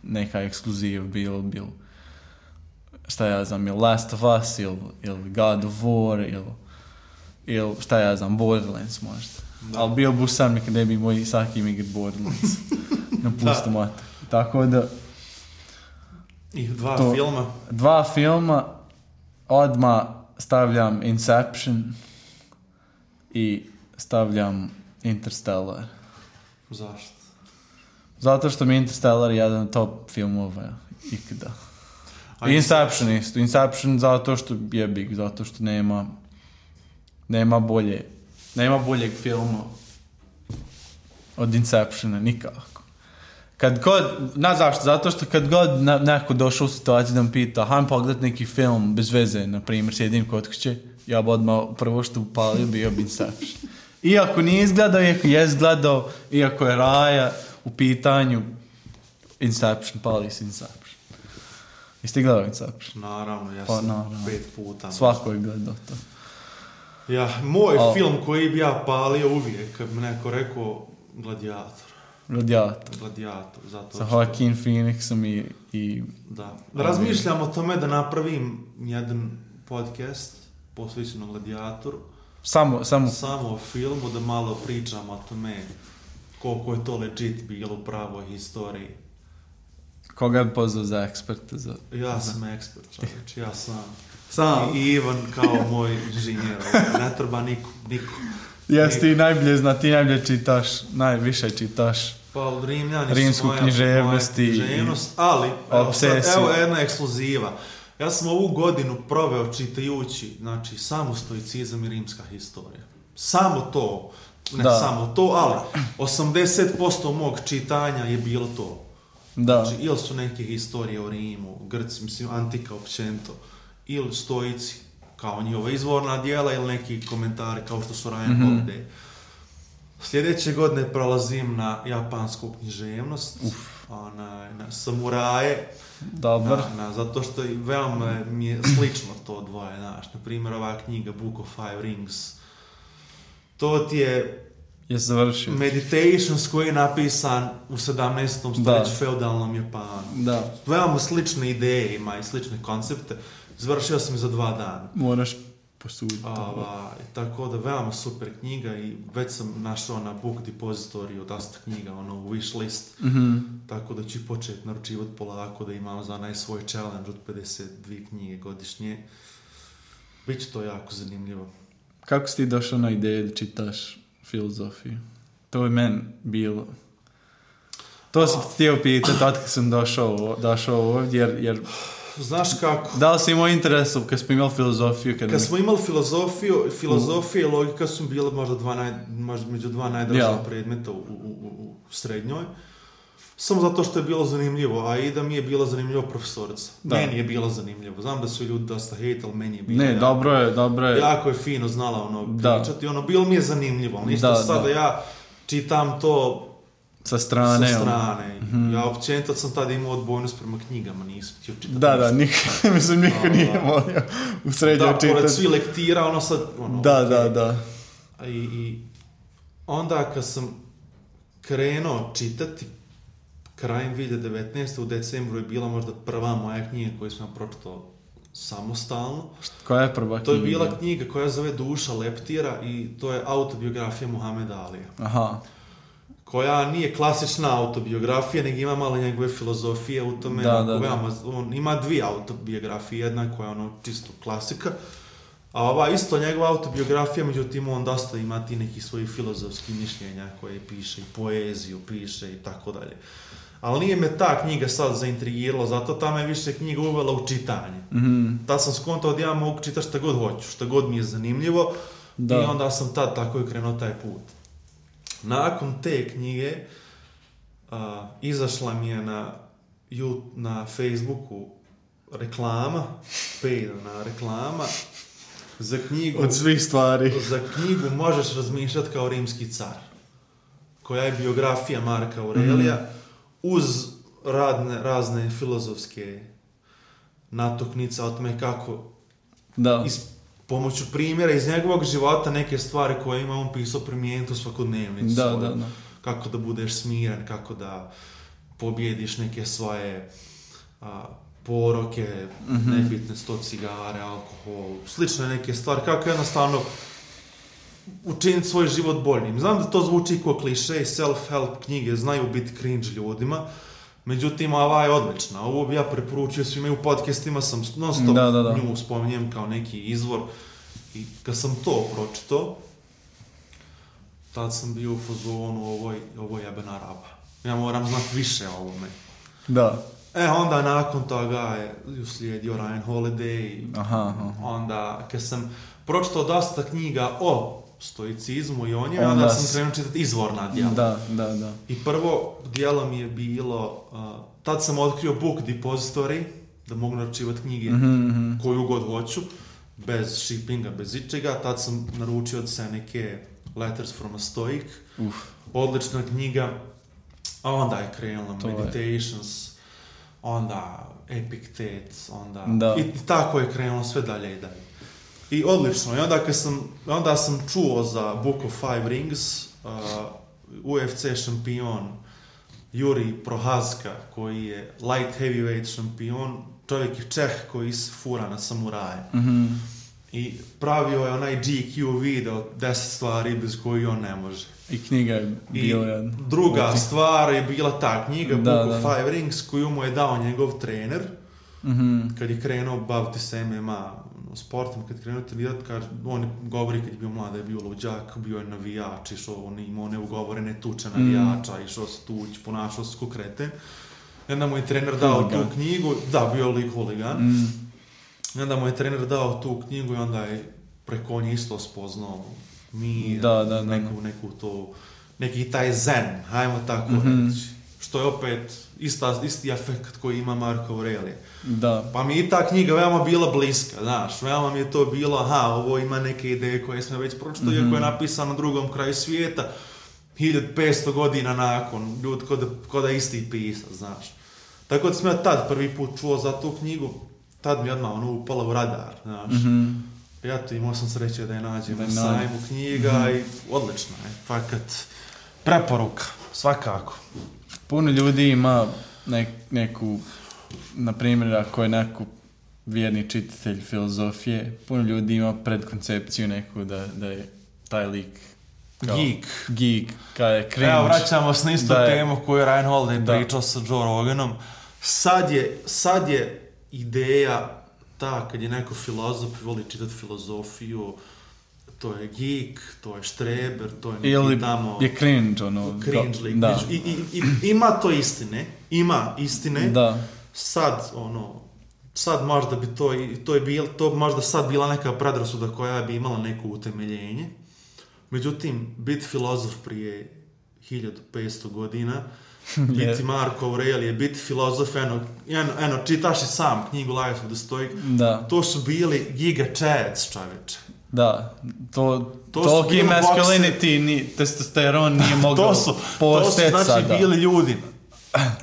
neka ekskluziva, bilo šta ja znam, ili Last of Us, ili God of War, ili šta ja znam, Borderlands možda. Da. Ali bio bi sam nekad ne bi moj sakim igrat Borderlands na pustom otoku. Tako da... I dva filma, odmah stavljam Inception i stavljam Interstellar. Zašto? Zato što mi Interstellar je jedan od top filmova ikada. Inception isto. Inception zato što je big, zato što nema boljeg filma od Inceptiona, nikako. Kad god, zašto? Zato što kad god neko došao u situaciju da me pita, hajmo pogledat neki film bez veze, na primjer, sjedim kod kuće, ja bi odmah prvo što upalio bio bi Inception. Iako nije izgledao, iako je izgledao, iako je Raja u pitanju, Inception, pali si Inception. Jeste gledao Inception? Naravno, ja sam 5 puta. Svako je gledao to. Ja, moj film koji bi ja palio uvijek, kad bi neko rekao Gladiator. Zato sa Joaquin Phoenixom i... Da. Razmišljam o tome da napravim jedan podcast posvećen Gladiatoru. Samo o filmu, da malo pričam o tome koliko je to legit bilo u pravoj historiji. Koga bi pozvao za eksperta? Ja sam ekspert, čovječ, ja sam. I Ivan kao moj inženjer, ne treba niko. Jesi ti najbolje zna, ti najbolje čitaš, najviše čitaš. Pa Rimljani rimsku književnost, ali obsesiju. Evo jedna ekskluziva. Ja sam ovu godinu proveo čitajući, znači, samo stoicizam i rimska historija. Samo to, samo to, ali 80% mog čitanja je bilo to. Da. Znači, ili su neke historije o Rimu, Grci, mislim, antika općenito, ili stoici, kao njihova izvorna dijela, ili neki komentari kao što su Ryan Holiday. Sljedeće godine prolazim na japansku književnost, na samuraje, zato što veoma mi je slično to dvoje, znaš, na primjer ova knjiga Book of Five Rings, to ti je Meditations koji je napisan u 17. stoljeću feudalnom Japanu. Da. Veoma slične ideje ima i slične koncepte, završio sam za 2 dana. Moraš posuditi. Tako da veoma super knjiga i već sam našao na Book Depository dosta knjiga, u wishlist, tako da ću početi naručivati polako da imam za svoj challenge od 52 knjige godišnje. Biće to jako zanimljivo. Kako si ti došao na ideju da čitaš filozofiju? To je meni bilo. To sam ti htio pitati tad kad sam došao ovdje, jer znaš kako? Da li si imao interes kad smo imali filozofiju? Kad smo imali filozofija i logika su bile možda među 2 najdraža predmeta u srednjoj. Samo zato što je bilo zanimljivo, a i da mi je bila zanimljiva profesorica. Meni je bilo zanimljivo. Znam da su ljudi dosta hejt, ali meni je bilo dobro je. Jako je fino znala pričati. Bilo mi je zanimljivo. Ništa sada ja čitam to sa strane. Ja općenito sam tada imao odbojnost prema knjigama, nisam htio čitati. Niko nije volio u srednjoj čitati. Da, pored svi lektira, sad... Da. I onda kad sam krenuo čitati, krajem 2019. u decembru je bila možda prva moja knjiga koju sam pročitao samostalno. Koja je prva knjiga? To je bila knjiga koja zove Duša leptira i to je autobiografija Muhameda Alija. Aha. Koja nije klasična autobiografija, nego ima malo njegove filozofije u tome. On ima 2 autobiografije, jedna koja je čisto klasika, a ova isto njegova autobiografija, međutim on dosta ima ti nekih svojih filozofskih mišljenja koje piše i poeziju piše i tako dalje. Ali nije me ta knjiga sad zaintrigirala, zato ta me više knjiga uvela u čitanje. Tad sam skontao da ja mogu čitati šta god hoću, šta god mi je zanimljivo i onda sam tad tako i krenuo taj put. Nakon te knjige izašla mi je na Facebooku reklama, paidana reklama za knjigu... Od svih stvari. Za knjigu Možeš razmišljati kao rimski car, koja je biografija Marka Aurelija, uz razne filozofske natuknice o tome kako pomoću primjera iz njegovog života neke stvari koje ima on pisao primijeniti u svakodnevnicu. Kako da budeš smiren, kako da pobjediš neke svoje poroke, nebitne 100 cigare, alkohol, slične neke stvari, kako jednostavno učiniti svoj život boljim. Znam da to zvuči kao kliše, self-help knjige znaju biti cringe ljudima, međutim, ova je odlična. Ovo bi ja preporučio svima i u podcastima sam non stop nju spominjem kao neki izvor. I kad sam to pročitao, tad sam bio u fazonu ovo jebena raba. Ja moram znati više o ovome. Da. Onda nakon toga je uslijedio Ryan Holiday. Onda kad sam pročitao dosta knjiga o stoicizmu i on je, onda sam krenuo čitati izvorna djela. Da. I prvo djelo mi je bilo, tad sam otkrio Book Depository, da mogu naručivati knjige koju god hoću, bez shippinga, bez ičega. Tad sam naručio od Seneke Letters from a Stoic, odlična knjiga, a onda je krenulo Meditations, onda Epictet, onda i tako je krenulo sve dalje i dalje. I odlično, i onda sam čuo za Book of Five Rings, UFC šampion Juri Prohaska, koji je light heavyweight šampion, čovjek je Čeh koji se fura na samuraje. I pravio je onaj GQ video 10 stvari bez koji on ne može. I knjiga je bila jedna. Druga stvar je bila ta knjiga Book of Five Rings koju mu je dao njegov trener. Kad je krenuo baviti se MMA sportom, kad je krenuo trenirati, on govori kad je bio mlad, je bio luđak, bio je navijač, on imao neugovorene tuče navijača, išao se tući, ponašao se ko kreten. I onda mu je trener dao tu knjigu, bio je lik huligan. I onda mu je trener dao tu knjigu i onda je preko nje isto spoznao mir, neku to, neki taj zen, hajmo tako reći. Što je opet isti efekt koji ima Marko Aurelije. Pa mi je ta knjiga veoma bila bliska, znaš, veoma mi je to bilo, ovo ima neke ideje koje smo već pročitali, iako je napisano na drugom kraju svijeta, 1500 godina nakon, ljudi ko da isti pisac, znaš. Tako da sam ja tad prvi put čuo za tu knjigu, tad mi odmah upala u radar, znaš. Ja to imao sam sreće da je nađem na sajmu knjiga i odlično je, fakat preporuka, svakako. Puno ljudi ima neku, na primjer, ako je neku vjerni čitatelj filozofije, puno ljudi ima predkoncepciju neku da je taj lik geek, kada je cringe. Evo, vraćamo se na istu temu koju je Ryan Holiday pričao sa Joe Roganom. Sad je ideja ta, kad je neko filozof i voli čitati filozofiju, to je geek, to je štreber, to je neki tamo... je cringe, cringe lik. I ima to istine. Sad možda bi to možda sad bila neka predrasuda koja bi imala neko utemeljenje. Međutim, biti filozof prije 1500 godina, biti Marko Aurelije, biti filozof, čitaš i sam knjigu Life of the Stoic, to su bili giga chads, čovječe. Toliki masculinity, testosteron nije mogao posteti sada. To su bili ljudi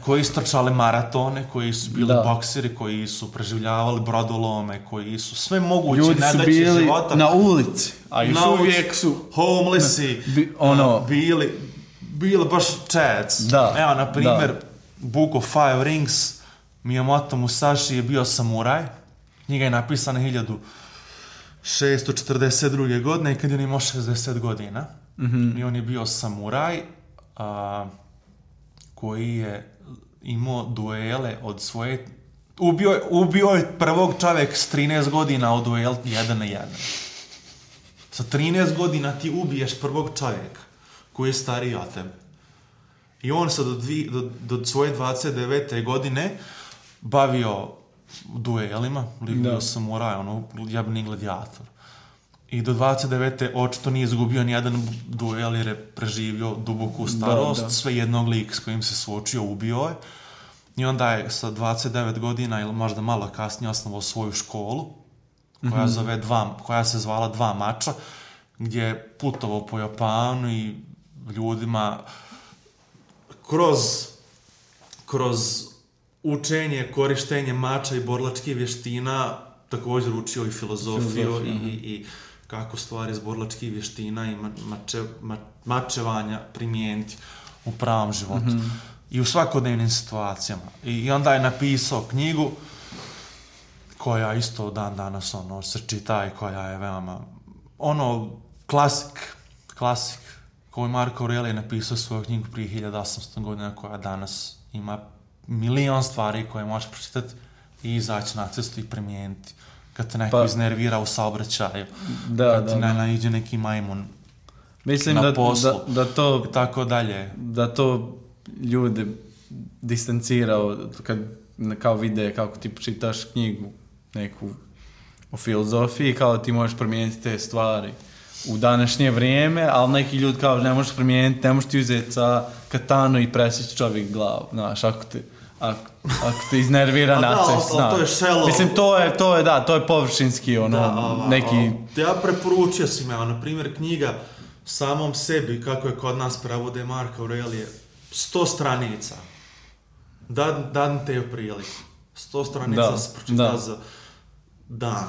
koji istrčali maratone, koji su bili bokseri, koji su preživljavali brodolome, koji su sve moguće nedaće života. Ljudi su bili na ulici, a još uvijek su homelessi, bili baš chads. Evo, na primjer, Book of Five Rings, Miyamoto Musashi je bio samuraj, knjiga je napisana 1642. godine i kad je on imao 60 godina. I on je bio samuraj koji je imao duele od svoje... Ubio je prvog čovjek s 13 godina od duel 1 na 1. Sa 13 godina ti ubiješ prvog čovjeka koji je stariji od tebe. I on se do svoje 29. godine bavio duelima, bio samuraj, jebni gladijator. I do 29. očito nije izgubio nijedan duel jer je preživio duboku starost, sve jednog lik s kojim se suočio ubio je. I onda je sa 29 godina ili možda malo kasnije osnovao svoju školu koja se zvala Dva mača, gdje je putovao po Japanu i ljudima kroz učenje, korištenje mača i borilačkih vještina također učio i filozofiju i kako stvari iz borilačkih vještina i mačevanja primijeniti u pravom životu i u svakodnevnim situacijama. I onda je napisao knjigu koja isto dan danas se čita i koja je veoma klasik koju Marko Aurelije napisao svoju knjigu prije 1800 godina koja danas ima milion stvari koje možeš pročitati i izaći na cestu i primijeniti. Kad te neko iznervira u saobraćaju, kad ti naiđe neki majmun na poslu i tako dalje. Da to ljude distancirao kad kao vide kako ti čitaš knjigu neku o filozofiji, kao ti možeš promijeniti te stvari. u današnje vrijeme, ali neki ljudi kao ne možeš primijeniti, ne možeš ti uzeti sa katanu i presjeći čovjek glavu, znaš, ako te iznervira na cesti, znaš. To je shallow. Mislim, to je površinski, neki... Ja preporučio si me, na primjer, knjiga samom sebi, kako je kod nas prevode Marka Aurelije, 100 stranica. Dan te je priliku. 100 stranica se pročita za dan.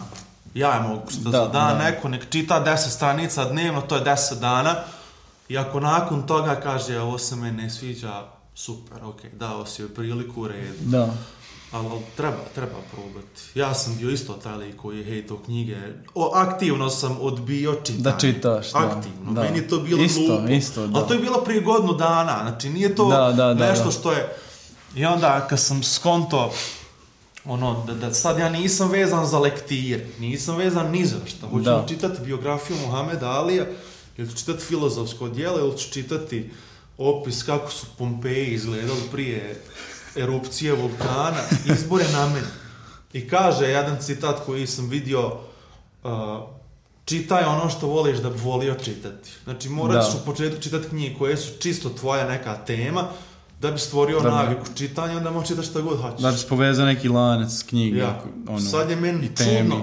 Ja je mogu što za dan, neko nek čita 10 stranica dnevno, to je 10 dana. I ako nakon toga kaže, ovo se meni ne sviđa, super, dao si joj priliku u redu. Da. Ali treba probati. Ja sam bio isto taj lik koji je hejtao knjige. Aktivno sam odbio čitanje. Da čitaš, aktivno. Da. Meni je to bilo glupo. Isto, da. Ali to je bilo prije godinu dana. Znači nije to nešto što je... I onda kad sam skonto da sad ja nisam vezan za lektire, nisam vezan ni za šta. Hoću čitati biografiju Muhameda Alija, ili ću čitati filozofsko djelo, ili ću čitati opis kako su Pompeji izgledali prije erupcije vulkana, izbor je na meni. I kaže jedan citat koji sam vidio, čitaj ono što voliš da bi volio čitati. Znači morat ćeš u početku čitati knjige koje su čisto tvoja neka tema, da bi stvorio naviku čitanja, onda možeš čitati šta god hoćeš. Znači povezao neki lanac knjige. Ja.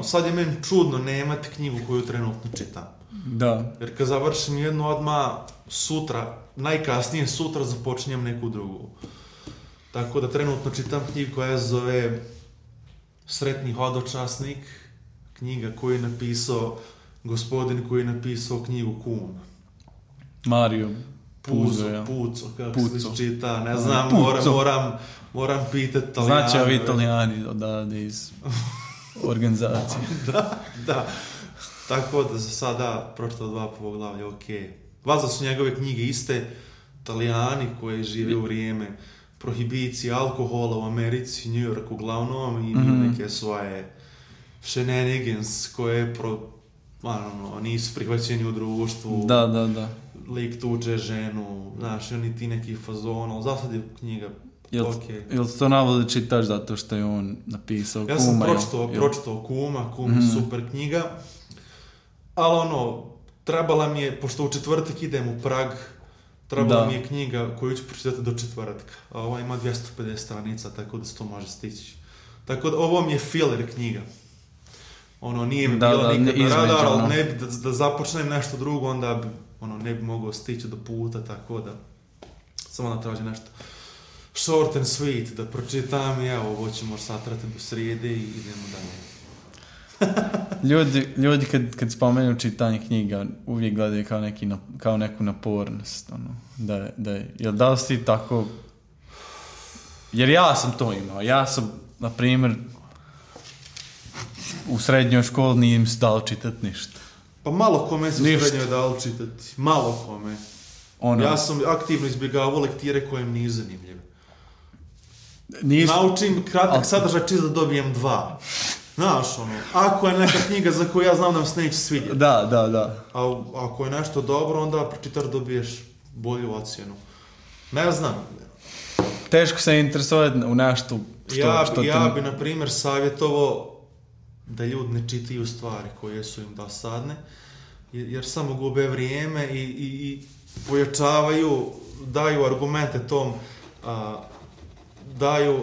Sad je meni čudno nemati knjigu koju trenutno čitam. Da. Jer kad završim jednu odmah sutra, najkasnije sutra započinjem neku drugu. Tako da trenutno čitam knjigu koja se zove Sretni hodočasnik, knjiga koju je napisao gospodin koji je napisao knjigu Kum. Mario Puzo, kako se čita, ne znam, moram pitati Italijani. Znači ovi Italijani odavde iz organizacije. Da. Tako da za sada pročitao 2 poglavlja, Valjda su njegove knjige iste, Italijani koji žive u vrijeme prohibicije alkohola u Americi, New York uglavnom, i neke svoje shenanigans koje nisu prihvaćeni u društvu. Da. Lik tuče ženu, znaš, oni ti neki fazon, ali za sad je knjiga Jel to navode čitaš zato što je on napisao Kuma? Ja sam pročitao Kuma je super knjiga, ali trebala mi je, pošto u četvrtak idem u Prag, trebala mi je knjiga koju ću pročitati do četvrtka, a ova ima 250 stranica, tako da se to može stići. Tako da ovo mi je filler knjiga. Nije mi bila nikad na radar, ali ne bi da započnem nešto drugo, onda bi ne bi mogao stići do puta, tako da samo da traži nešto short and sweet da pročitam i evo, ovo ćemo satrati do srijede i idemo dalje. Ljudi kad spomenu čitanje knjiga uvijek gledaju kao neku napornost, da li si tako, jer ja sam to imao, ja sam, na primjer, u srednjoj školi nije im se dalo čitati ništa. Pa malo kome se u srednjoj dalo čitati, malo kome. Ja sam aktivno izbjegavao lektire koje mi nije zanimljive. Naučim kratak sadržaj čisto da dobijem 2. Znaš, ako je neka knjiga za koju ja znam da mi se neće svidjeti. Da. A ako je nešto dobro, onda pročitaš dobiješ bolju ocjenu. Ne znam. Teško se interesovati u nešto što ja bi, na primjer, savjetovao da ljudi ne čitaju stvari koje su im dosadne, jer samo gube vrijeme i pojačavaju, daju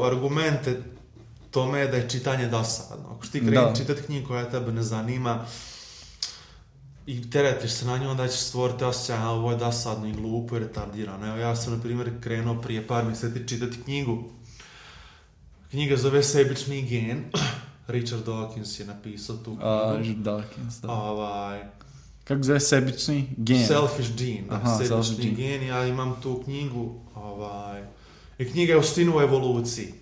argumente tome da je čitanje dosadno. Ako ti kreni čitati knjigu koja tebe ne zanima i teretiš se na nju, onda ćeš stvoriti osjećaj, ovo je dosadno i glupo i retardirano. Evo, ja sam, na primjer, krenuo prije par mjeseci čitati knjigu. Knjiga zove Sebični gen. Richard Dawkins je napisao tu knjigu. Richard Dawkins, da. Kako zove Sebični gen? Selfish gene. Sebični gen. Ja imam tu knjigu. I knjiga je u stinu o evoluciji.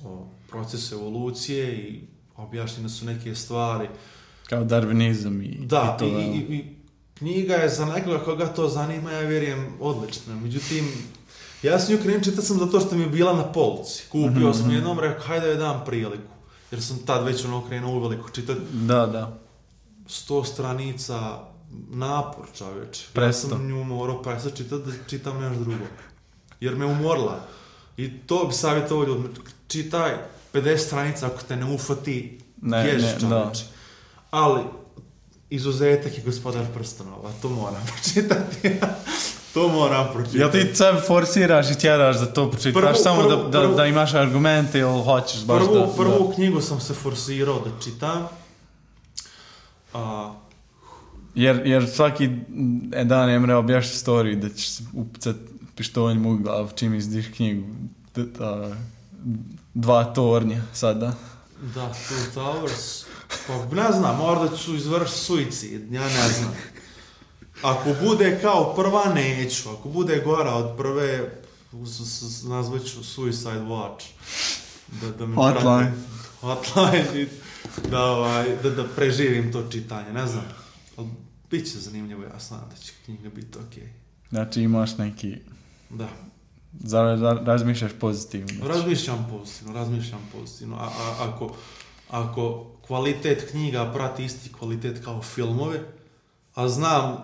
O procesu evolucije i objašnjene su neke stvari. Kao darwinizam i to. I knjiga je za nekoga koga to zanima, ja vjerujem, odlična. Međutim, ja sam nju krenuo čitati zato što mi je bila na polici. Kupio sam jednom, rekao, hajde da je dam priliku. Jer sam tad već krenuo uveliko čitati. Da. 100 stranica, napor, čovječe. Presto. Ja sam nju morao prestati čitati da čitam nešto drugo. Jer me umorila. I to bi savjetovao ljudima. Čitaj 50 stranica ako te ne ufati, ješ, čovječe. Ali izuzetak je Gospodar prstenova, to moram pročitati. To moram pročitati. Jel ti sebe forsiraš i tjeraš da to pročitaš samo da imaš argumente ili hoćeš baš Prvu knjigu sam se forsirao da čitam. Jer svaki dan Emre objašnja storiju da ćeš upicat pištoljem u glavu čim izdiš knjigu. 2 tornja sada. Da, Two Towers. Pa ne znam, možda ću izvršiti suicid, ja ne znam. Ako bude kao prva, neću. Ako bude gora od prve, nazvat ću Suicide Watch. Hotline. Hotline. Da preživim to čitanje, ne znam. Ali bit će zanimljivo, ja znam da će knjiga biti okej. Znači imaš neki... Da. Razmišljaš pozitivno. Razmišljam pozitivno. Ako kvalitet knjiga prati isti kvalitet kao filmove, a znam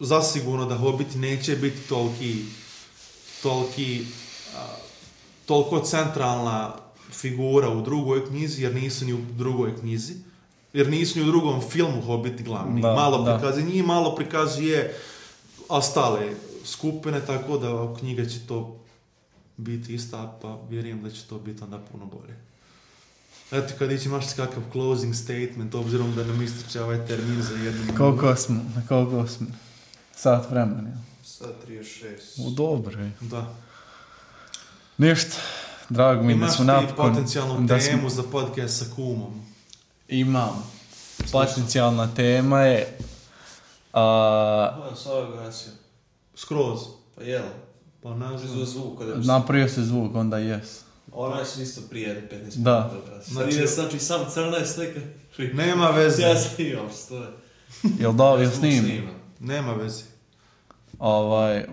zasigurno da Hobbit neće biti toliko centralna figura u drugoj knjizi, jer nisu ni u drugoj knjizi, jer nisu ni u drugom filmu Hobbit glavni. Malo prikazuje ostale skupine, tako da knjiga će to biti ista, pa vjerujem da će to biti onda puno bolje. Eto, kad imaš kakav closing statement, obzirom da nam ističe ovaj termin za jednu... Koliko smo? Sat vremena. Sat 36. Dobro je. Da. Ništa. Drago mi da smo napokon... Imaš ti potencijalnu temu za podcast sa kumom? Imam. Potencijalna tema je... Sada gasio. Skroz. Pa jel? Pa ne znam. Zvuk. Napravio se zvuk, onda jes. Ona će isto prije 15 minuta. Da. Znači sam crna slika. Nema veze. Ja snimam, stoje. Jel snimam? Nema veze.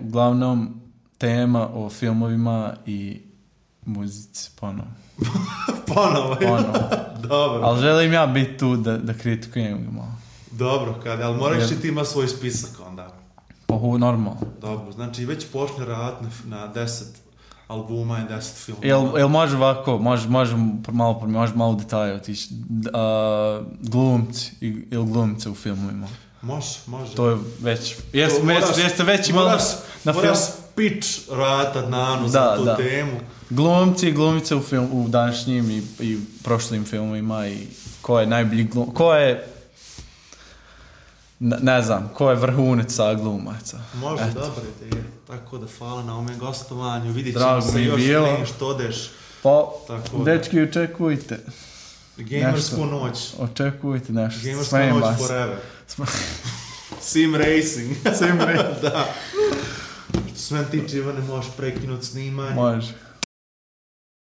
Uglavnom, tema o filmovima i muzici, ponovo. Ponovo. Dobro. Ali želim ja biti tu da kritikujem ga malo. Dobro, ali moraš ti ima svoj spisak onda. Pa normalno. Dobro, znači već počne raditi na 10 albuma i 10 filmova. Jel može ovako, može malo detalje otići. Glumci ili glumice u filmovima. Može. To je već... Jeste već imali na film... Moraš pitch ratat nanu za tu temu. Glumci i glumice u današnjim i prošlim filmovima i ko je najbolji glum... Ko je... Ne znam, ko je vrhunac glumaca. Može, dobro ideja. Tako da hvala na ovome gostovanju. Vidit ćemo se još prije što odeš. Pa, dečki, očekujte. Gamersku noć. Očekujte nešto. Gamersku noć forever. Sim Racing. Sim Racing. Da. Što sve tiče, Ivane, možeš prekinuti snimanje. Može.